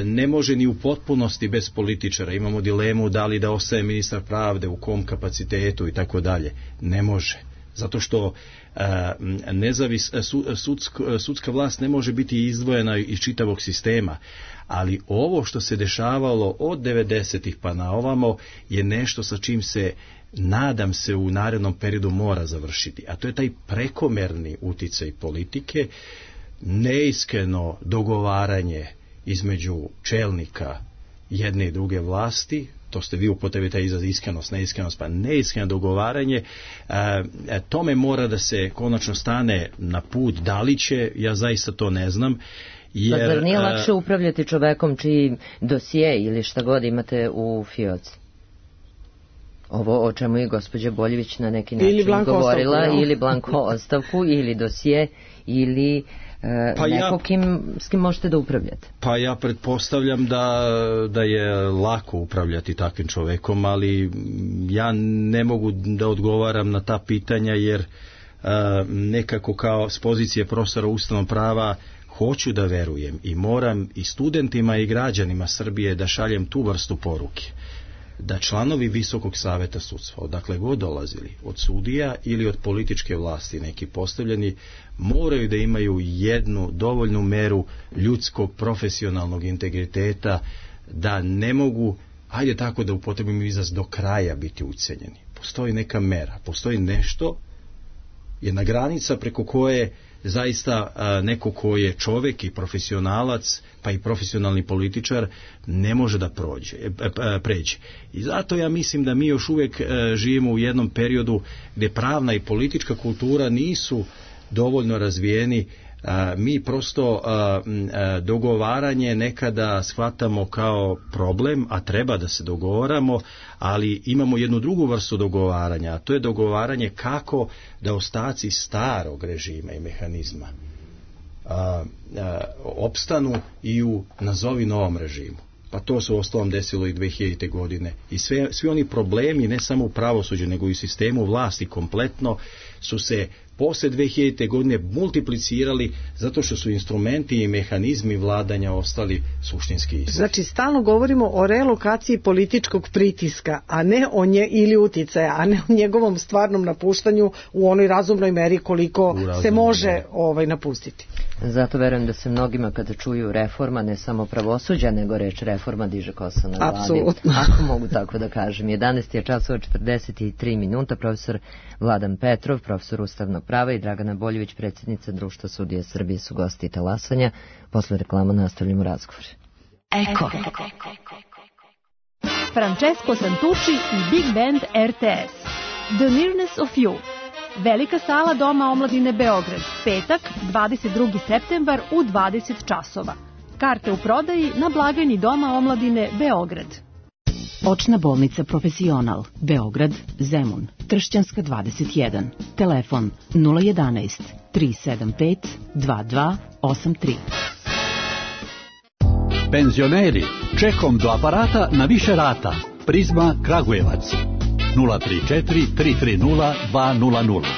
ne može ni u potpunosti bez političara, imamo dilemu da li da ostaje ministar pravde, u kom kapacitetu i tako dalje, ne može, zato što nezavis, sudsk, sudska vlast ne može biti izdvojena iz čitavog sistema, ali ovo što se dešavalo od devedesetih pa na ovamo je nešto sa čim se, nadam se, u narednom periodu mora završiti, a to je taj prekomerni uticaj politike, neiskreno dogovaranje između čelnika jedne i druge vlasti, to ste vi upotrebili taj izraz iskrenost, neiskrenost, pa neiskreno dogovaranje, e, tome mora da se konačno stane na put, da li će, ja zaista to ne znam. Jer, pa zar nije lakše upravljati čovekom čiji dosije ili šta god imate u fioci? Ovo o čemu je gospođa Boljević na neki način govorila, ostavku, ili blanko ostavku, ili dosije, ili pa neko ja, kim, s kim možete da upravljate. Pa ja pretpostavljam da, da je lako upravljati takvim čovekom, ali ja ne mogu da odgovaram na ta pitanja, jer a, nekako kao s pozicije profesora ustavnog prava hoću da verujem i moram i studentima i građanima Srbije da šaljem tu vrstu poruke, da članovi Visokog saveta sudstva, odakle god dolazili, od sudija ili od političke vlasti neki postavljeni, moraju da imaju jednu dovoljnu meru ljudskog profesionalnog integriteta, da ne mogu, ajde tako da upotrebim izraz, do kraja biti ucenjeni. Postoji neka mera, postoji nešto, jedna granica preko koje zaista a, neko ko je čovjek i profesionalac, pa i profesionalni političar, ne može da prođe, e, e, pređe. I zato ja mislim da mi još uvijek e, živimo u jednom periodu gdje pravna i politička kultura nisu dovoljno razvijeni. A, mi prosto a, a, dogovaranje nekada shvatamo kao problem, a treba da se dogovaramo, ali imamo jednu drugu vrstu dogovaranja, a to je dogovaranje kako da ostaci starog režima i mehanizma a, a, opstanu i u nazovi novom režimu. Pa to se u ostalom desilo i dve hiljadite. godine. I sve, svi oni problemi, ne samo u pravosuđu, nego i u sistemu vlasti kompletno, su se posle dve hiljadite. godine multiplicirali zato što su instrumenti i mehanizmi vladanja ostali suštinski isti. Znači, stalno govorimo o relokaciji političkog pritiska, a ne o nje, ili uticaja, a ne o njegovom stvarnom napuštanju u onoj razumnoj meri koliko se može ovaj, napustiti. Zato verujem da se mnogima kada čuju reforma, ne samo pravosuđa, nego reč reforma diže kosa na glavi. Apsolutno. Ako mogu tako da kažem. jedanaest je časova četrdeset tri minuta, profesor Vladan Petrov, profesor ustavnog prava, i Dragana Boljević, predsjednica Društva sudija Srbije, su gosti talasanja. Posle reklama nastavljamo razgovor. Eko. Francesco Santucci i Big Band R T S. The Nearness of You. Velika sala Doma omladine Beograd, petak, dvadeset drugi septembar u dvadeset časova. Karte u prodaji na blagajni Doma omladine Beograd. Očna bolnica Profesional, Beograd, Zemun, Tršćanska dvadeset jedan. Telefon nula jedanaest tri sedam pet dva dva osam tri. Penzioneri, čekom do aparata na više rata. Prizma Kragujevac. nula tri četiri tri tri nula dva nula nula.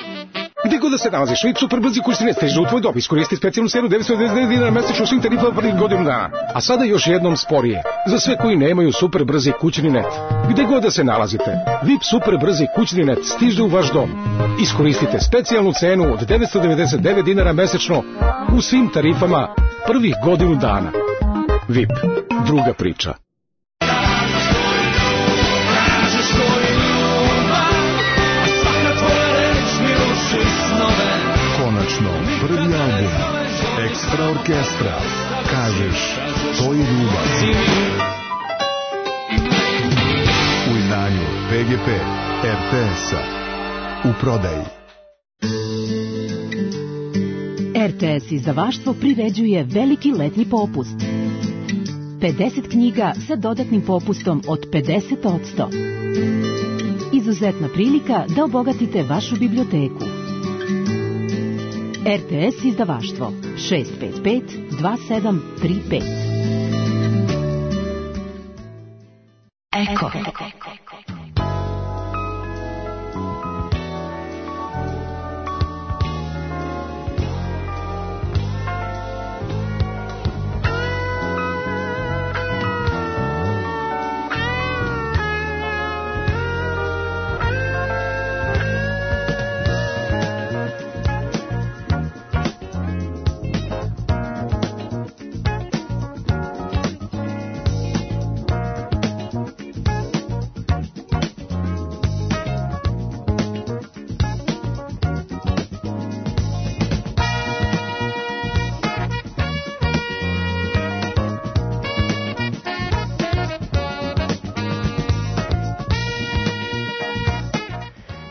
Gde god da se nalaziš, Vip Superbrzi kućni stiže u tvoj dom. Iskoristi specijalnu cenu devetsto devedeset devet dinara mesečno svim tarifama prvih godinu dana. A sada još jednom sporije. Za sve koji nemaju Superbrzi kućni net. Gde god da se nalazite, Vip Superbrzi kućni net stiže u vaš dom. Iskoristite specijalnu cenu od devetsto devedeset devet dinara mesečno u svim tarifama prvih godinu dana. Vip, druga priča. Konačno, prvi album Ekstra orkestra. Kažeš, to je ljubav. U izdanju P G P R T S-a. U prodaji. R T S izdavaštvo priređuje veliki letnji popust. pedeset knjiga sa dodatnim popustom od pedeset posto. Izuzetna prilika da obogatite vašu biblioteku. R T S izdavaštvo šest pet pet dva sedam tri pet. Eko.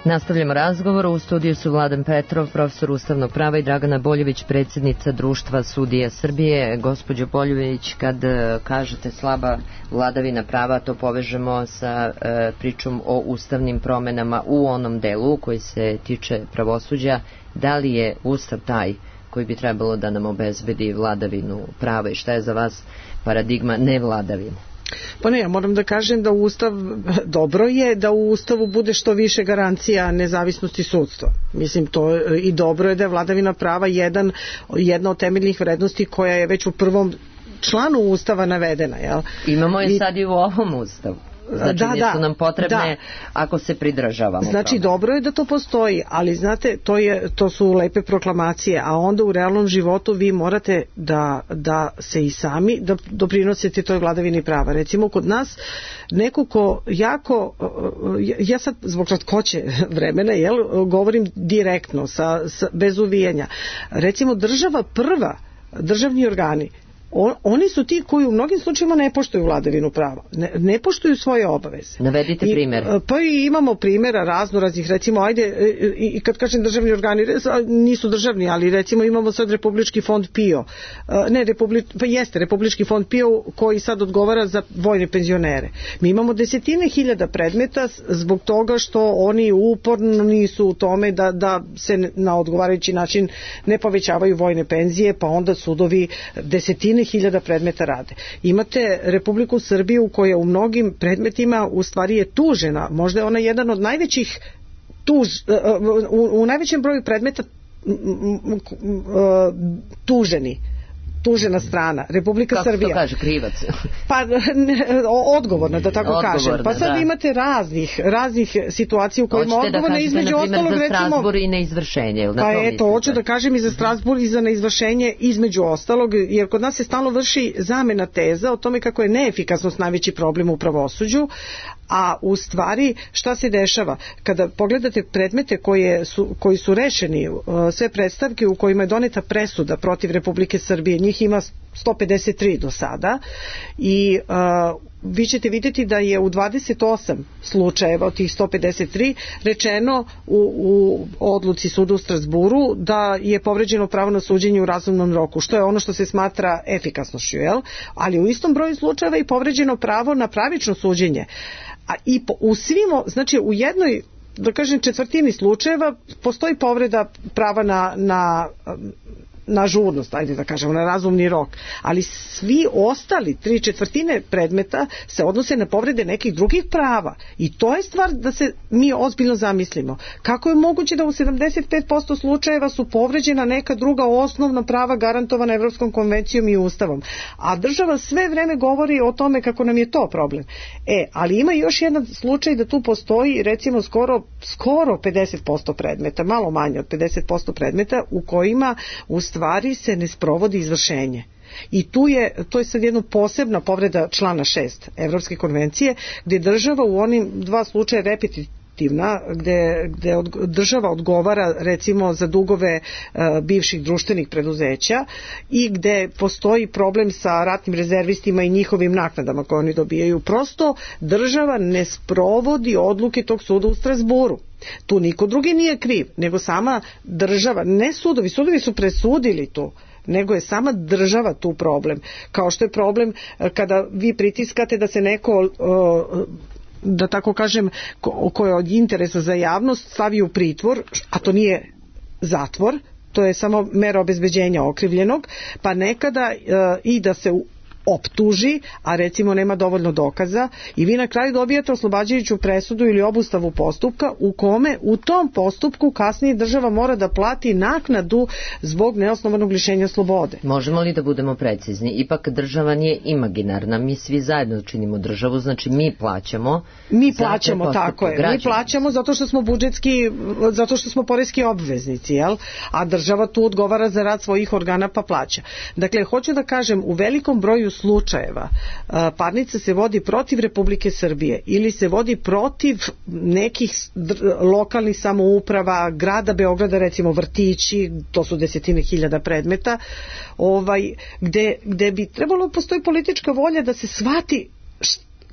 Nastavljamo razgovor. U studiju su Vladan Petrov, profesor ustavnog prava, i Dragana Boljević, predsjednica Društva sudija Srbije. Gospođo Boljević, kad kažete slaba vladavina prava, to povežemo sa e, pričom o ustavnim promenama u onom delu koji se tiče pravosuđa. Da li je ustav taj koji bi trebalo da nam obezbedi vladavinu prava i šta je za vas paradigma nevladavine? Pa ne, ja moram da kažem da Ustav, dobro je da u Ustavu bude što više garancija nezavisnosti sudstva. Mislim, to i dobro je da je vladavina prava jedan, jedna od temeljnih vrednosti koja je već u prvom članu Ustava navedena. Jel? Imamo je I, sad i u ovom Ustavu. Znači, da, nisu da, nam potrebne da. Ako se pridržavamo. Znači, tome. dobro je da to postoji, ali znate, to, je, to su lepe proklamacije, a onda u realnom životu vi morate da, da se i sami da doprinosite toj vladavini prava. Recimo, kod nas neko ko jako, ja sad zbog kratkoće vremena, jel, govorim direktno, sa, sa, bez uvijanja. Recimo, država prva, državni organi, On, oni su ti koji u mnogim slučajevima ne poštuju vladavinu prava, ne, ne poštuju svoje obaveze. Navedite I, primjer. Pa i imamo primjera raznoraznih, recimo, ajde, i, i kad kažem državni organi, nisu državni, ali recimo imamo sad Republički fond P I O, ne, Republi, pa jeste Republički fond P I O koji sad odgovara za vojne penzionere. Mi imamo desetine hiljada predmeta zbog toga što oni uporno nisu u tome da, da se na odgovarajući način ne povećavaju vojne penzije, pa onda sudovi desetine hiljada predmeta rade. Imate Republiku Srbiju koja u mnogim predmetima u stvari je tužena, možda je ona jedan od najvećih tuž, u, u najvećem broju predmeta tuženi tužena strana, Republika Kako Srbija. Kako to kaže, krivac? Pa ne, odgovorna, da tako odgovorna, kažem. Pa sad da. imate raznih, raznih situacija u kojima odgovorna da između ostalog, za recimo... Strasbourg i neizvršenje. Pa eto, hoću da kažem i za Strasbourg i za neizvršenje između ostalog, jer kod nas se stalno vrši zamena teza o tome kako je neefikasnost najveći problem u pravosuđu, a u stvari šta se dešava? Kada pogledate predmete koje su, koji su rešeni, sve predstavke u kojima je doneta presuda protiv Republike Srbije, njih ima sto pedeset tri do sada i uh, vi ćete vidjeti da je u dvadeset osam slučajeva od tih sto pedeset tri rečeno u, u odluci suda u Strasburu da je povređeno pravo na suđenje u razumnom roku, što je ono što se smatra efikasnošću, jel? Ali u istom broju slučajeva je povređeno pravo na pravično suđenje. A i po, u svim, znači u jednoj, da kažem, četvrtini slučajeva postoji povreda prava na, na na žurnost, ajde da kažemo, na razumni rok, ali svi ostali tri četvrtine predmeta se odnose na povrede nekih drugih prava i to je stvar da se mi ozbiljno zamislimo. Kako je moguće da u sedamdeset pet posto slučajeva su povređena neka druga osnovna prava garantovana Evropskom konvencijom i Ustavom, a država sve vreme govori o tome kako nam je to problem. E, ali ima još jedan slučaj da tu postoji recimo skoro, skoro pedeset posto predmeta, malo manje od pedeset posto predmeta u kojima u stvari se ne sprovodi izvršenje. I tu je, to je sad jedna posebna povreda člana šest Evropske konvencije, gdje država u onim dva slučaja repetitivna, gdje, gdje od, država odgovara recimo za dugove e, bivših društvenih preduzeća i gdje postoji problem sa ratnim rezervistima i njihovim naknadama koje oni dobijaju. Prosto država ne sprovodi odluke tog suda u Strasburu. Tu niko drugi nije kriv, nego sama država, ne sudovi, sudovi su presudili tu, nego je sama država tu problem. Kao što je problem kada vi pritiskate da se neko, da tako kažem, ko je od interesa za javnost stavi u pritvor, a to nije zatvor, to je samo mera obezbeđenja okrivljenog, pa nekada i da se optuži, a recimo nema dovoljno dokaza i vi na kraju dobijate oslobađajuću presudu ili obustavu postupka u kome u tom postupku kasnije država mora da plati naknadu zbog neosnovanog lišenja slobode. Možemo li da budemo precizni? Ipak država nije imaginarna, mi svi zajedno činimo državu, znači mi plaćamo. Mi plaćamo, tako je. Građana. Mi plaćamo zato što smo budžetski, zato što smo poreski obveznici, jel? A država tu odgovara za rad svojih organa pa plaća. Dakle, hoću da kažem, u velikom broju slučajeva parnica se vodi protiv Republike Srbije ili se vodi protiv nekih lokalnih samouprava, grada Beograda, recimo vrtići, to su desetine hiljada predmeta, ovaj, gde, gde bi trebalo postoji politička volja da se shvati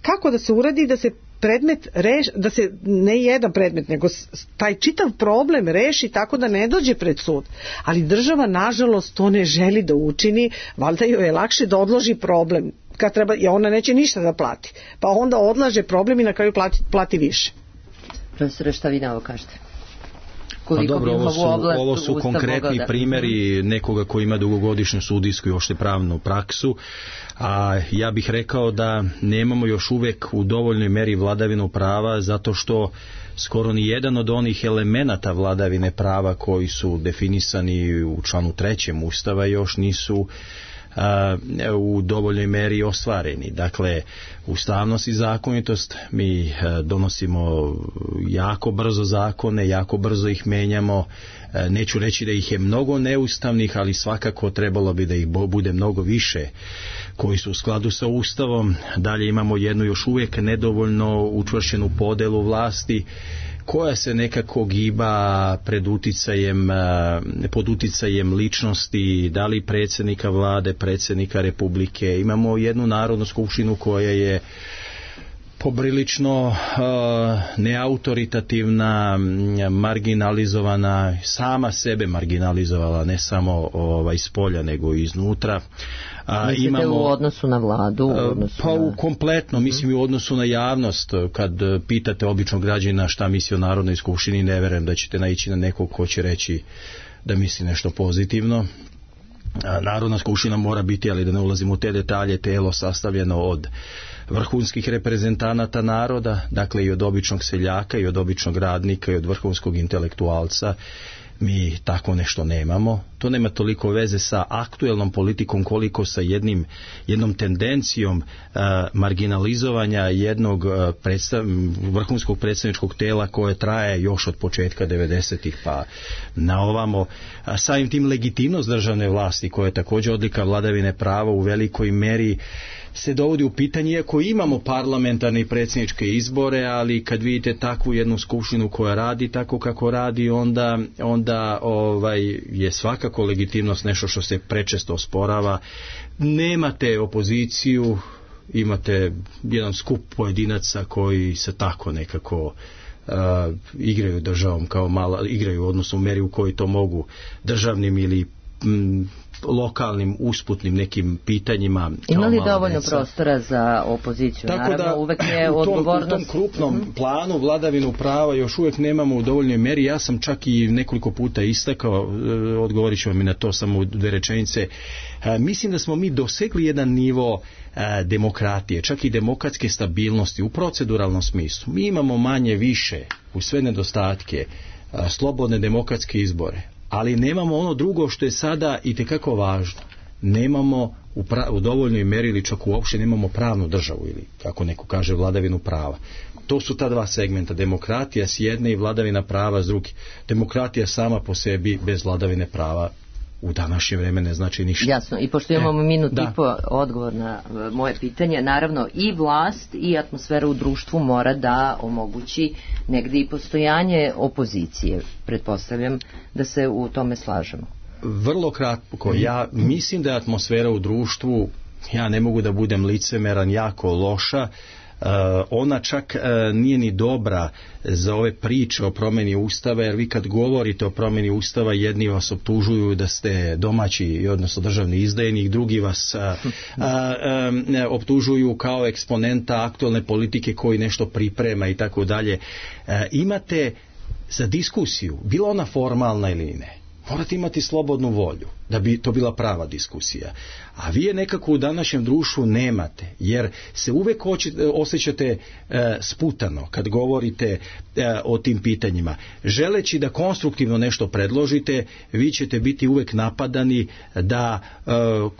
kako da se uradi da se predmet reš, da se ne jedan predmet, nego taj čitav problem reši tako da ne dođe pred sud. Ali država, nažalost, to ne želi da učini, valjda joj je lakše da odloži problem, kad treba, i ona neće ništa da plati. Pa onda odlaže problem i na kraju plati, plati više. Profesore, šta vi na ovo kažete? Pa dobro, ovo su, ovo su konkretni primjeri nekoga koji ima dugogodišnju sudijsku i uopšte pravnu praksu, a ja bih rekao da nemamo još uvek u dovoljnoj meri vladavinu prava, zato što skoro ni jedan od onih elemenata vladavine prava koji su definisani u članu trećem Ustava još nisu u dovoljnoj meri ostvareni. Dakle, ustavnost i zakonitost, mi donosimo jako brzo zakone, jako brzo ih menjamo, neću reći da ih je mnogo neustavnih, ali svakako trebalo bi da ih bude mnogo više koji su u skladu sa Ustavom. Dalje imamo jednu još uvijek nedovoljno učvršćenu podelu vlasti koja se nekako giba pred uticajem, pod uticajem ličnosti, da li predsjednika vlade, predsjednika republike. Imamo jednu narodnu skupštinu koja je poprilično uh, neautoritativna, marginalizovana, sama sebe marginalizovala, ne samo ovaj, iz polja, nego i iznutra. A, imamo, u odnosu na vladu? U odnosu pa na... u kompletno, mislim i u odnosu na javnost. Kad pitate običnog građana šta misli o Narodnoj skupštini, ne verujem da ćete naići na nekog ko će reći da misli nešto pozitivno. Narodna skupština mora biti, ali da ne ulazimo u te detalje, telo sastavljeno od vrhunskih reprezentanata naroda, dakle i od običnog seljaka i od običnog radnika i od vrhunskog intelektualca. Mi tako nešto nemamo. To nema toliko veze sa aktuelnom politikom koliko sa jednim, jednom tendencijom uh, marginalizovanja jednog uh, predstav, vrhunskog predstavničkog tela koje traje još od početka devedesetih pa na ovamo. A samim tim legitimnost državne vlasti, koja je također odlika vladavine prava, u velikoj meri se dovodi u pitanje, iako imamo parlamentarne i predsjedničke izbore, ali kad vidite takvu jednu skupštinu koja radi tako kako radi, onda, onda ovaj, je svakako legitimnost nešto što se prečesto osporava. Nemate opoziciju, imate jedan skup pojedinaca koji se tako nekako uh, igraju državom kao mala, igraju odnosno u meri u kojoj to mogu državnim ili m, lokalnim usputnim nekim pitanjima. Ima li dovoljno deca prostora za opoziciju? Tako naravno, da uvek je u tom, odgovornost... u tom krupnom mm-hmm. planu vladavinu prava još uvijek nemamo u dovoljnoj meri. Ja sam čak i nekoliko puta istakao, odgovorit ću vam i na to samo u dve rečenice. Mislim da smo mi dosegli jedan nivo demokratije, čak i demokratske stabilnosti u proceduralnom smislu. Mi imamo manje više u sve nedostatke slobodne demokratske izbore, ali nemamo ono drugo što je sada itekako važno. Nemamo u, pra, u dovoljnoj meri ili čak uopšte nemamo pravnu državu ili, kako neko kaže, vladavinu prava. To su ta dva segmenta, demokratija s jedne i vladavina prava s druge. Demokratija sama po sebi bez vladavine prava u današnje vreme ne znači ništa. Jasno, i pošto imamo e, minut da. i po odgovor na moje pitanje, naravno i vlast i atmosfera u društvu mora da omogući negdje i postojanje opozicije. Pretpostavljam da se u tome slažemo. Vrlo kratko, ja mislim da je atmosfera u društvu, ja ne mogu da budem licemeran, jako loša. Uh, ona čak uh, nije ni dobra za ove priče o promjeni ustava, jer vi kad govorite o promjeni ustava, jedni vas optužuju da ste domaći, odnosno državni izdajnik, drugi vas uh, uh, um, optužuju kao eksponenta aktualne politike koji nešto priprema i tako dalje. Imate za diskusiju, bila ona formalna ili ne, morate imati slobodnu volju da bi to bila prava diskusija. A vi je nekako u današnjem društvu nemate, jer se uvek osjećate e, sputano kad govorite e, o tim pitanjima. Želeći da konstruktivno nešto predložite, vi ćete biti uvek napadani da e,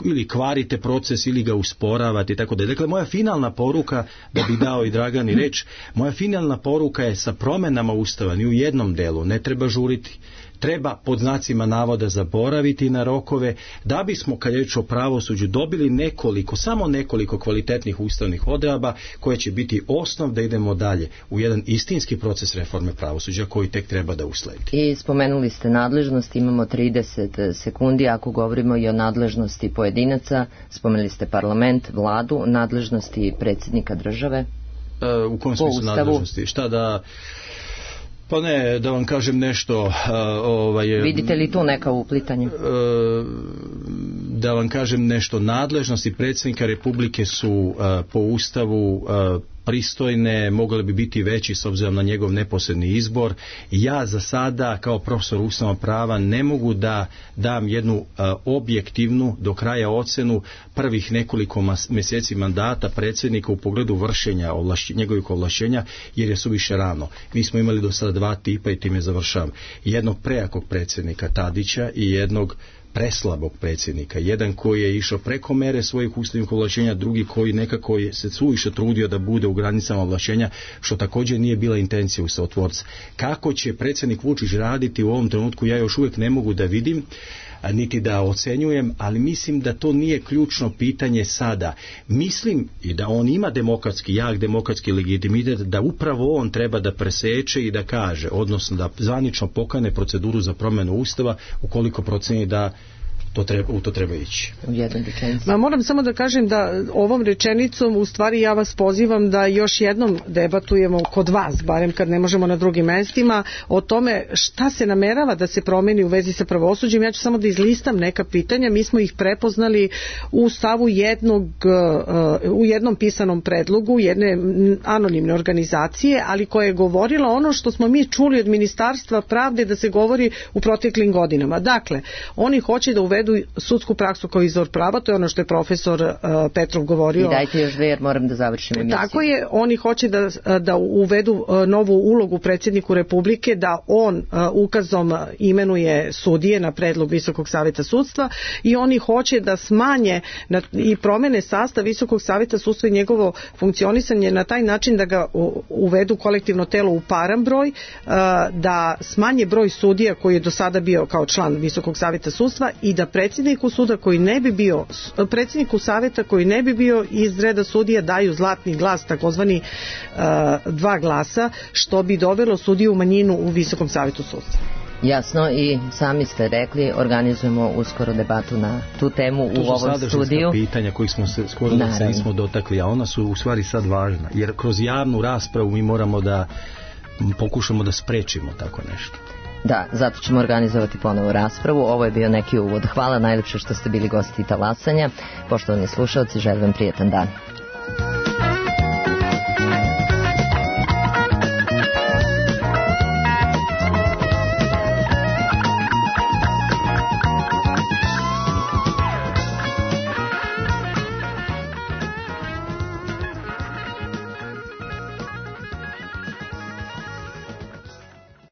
ili kvarite proces ili ga usporavate i tako da. Dakle, moja finalna poruka, da bi dao i Dragani reč, moja finalna poruka je sa promjenama ustava ni u jednom delu ne treba žuriti. Treba pod znacima navoda zaboraviti na rokove, da bismo, kad je reč o pravosuđu, dobili nekoliko, samo nekoliko kvalitetnih ustavnih odredaba koje će biti osnov da idemo dalje u jedan istinski proces reforme pravosuđa koji tek treba da usledi. I spomenuli ste nadležnost, imamo trideset sekundi, ako govorimo i o nadležnosti pojedinaca, spomenuli ste parlament, vladu, nadležnosti predsjednika države. E, u kom smislu nadležnosti? Šta da... Pa ne, da vam kažem nešto... Uh, ovaj, vidite li tu neka uplitanja? Uh, da vam kažem nešto, nadležnosti predsjednika Republike su uh, po Ustavu uh, pristojne, mogle bi biti veći s obzirom na njegov neposredni izbor. Ja za sada kao profesor ustavnog prava ne mogu da dam jednu uh, objektivnu do kraja ocenu prvih nekoliko mas- mjeseci mandata predsjednika u pogledu vršenja ovlaš- njegovih ovlašćenja, jer je suviše rano. Mi smo imali do sada dva tipa i time završavam. Jednog prejakog predsjednika Tadića i jednog preslabog predsjednika. Jedan koji je išao preko mere svojih ustavnih ovlašćenja, drugi koji nekako je se suviše trudio da bude u granicama ovlašćenja, što također nije bila intencija ustavotvorca. Kako će predsjednik Vučić raditi u ovom trenutku, ja još uvijek ne mogu da vidim. niti da ocenjujem, ali mislim da to nije ključno pitanje sada. Mislim i da on ima demokratski, jak demokratski legitimitet, da upravo on treba da preseče i da kaže, odnosno da zvanično pokrene proceduru za promjenu Ustava ukoliko proceni da to treba, u to treba ići. U jednoj rečenici. Ma moram samo da kažem da ovom rečenicom u stvari ja vas pozivam da još jednom debatujemo kod vas, barem kad ne možemo na drugim mestima, o tome šta se namerava da se promeni u vezi sa pravosuđem. Ja ću samo da izlistam neka pitanja. Mi smo ih prepoznali u stavu jednog, u jednom pisanom predlogu jedne anonimne organizacije, ali koja je govorila ono što smo mi čuli od Ministarstva pravde da se govori u proteklim godinama. Dakle, oni hoće da uvedu sudsku praksu kao izvor prava, to je ono što je profesor uh, Petrov govorio. I dajte još dve jer moram da završim emisiju. Tako je, oni hoće da, da uvedu uh, novu ulogu predsjedniku Republike, da on uh, ukazom imenuje sudije na predlog Visokog saveta sudstva i oni hoće da smanje na, i promene sastav Visokog saveta sudstva i njegovo funkcionisanje na taj način da ga u, uvedu kolektivno telo u paran broj, uh, da smanje broj sudija koji je do sada bio kao član Visokog saveta sudstva i da predsjedniku suda koji ne bi bio, predsjedniku saveta koji ne bi bio iz reda sudija daju zlatni glas, takozvani uh, dva glasa, što bi dovelo sudiju u manjinu u Visokom savetu sudstva. Jasno, i sami ste rekli, organizujemo uskoro debatu na tu temu to u ovom studiju. To su sadržajska pitanja kojih smo se skoro da se nismo dotakli, a ona su u stvari sad važna, jer kroz javnu raspravu mi moramo da pokušamo da sprečimo tako nešto. Da, zato ćemo organizovati ponovo raspravu. Ovo je bio neki uvod. Hvala najlepše što ste bili gosti Talasanja. Poštovani slušalci, želim vam prijetan dan.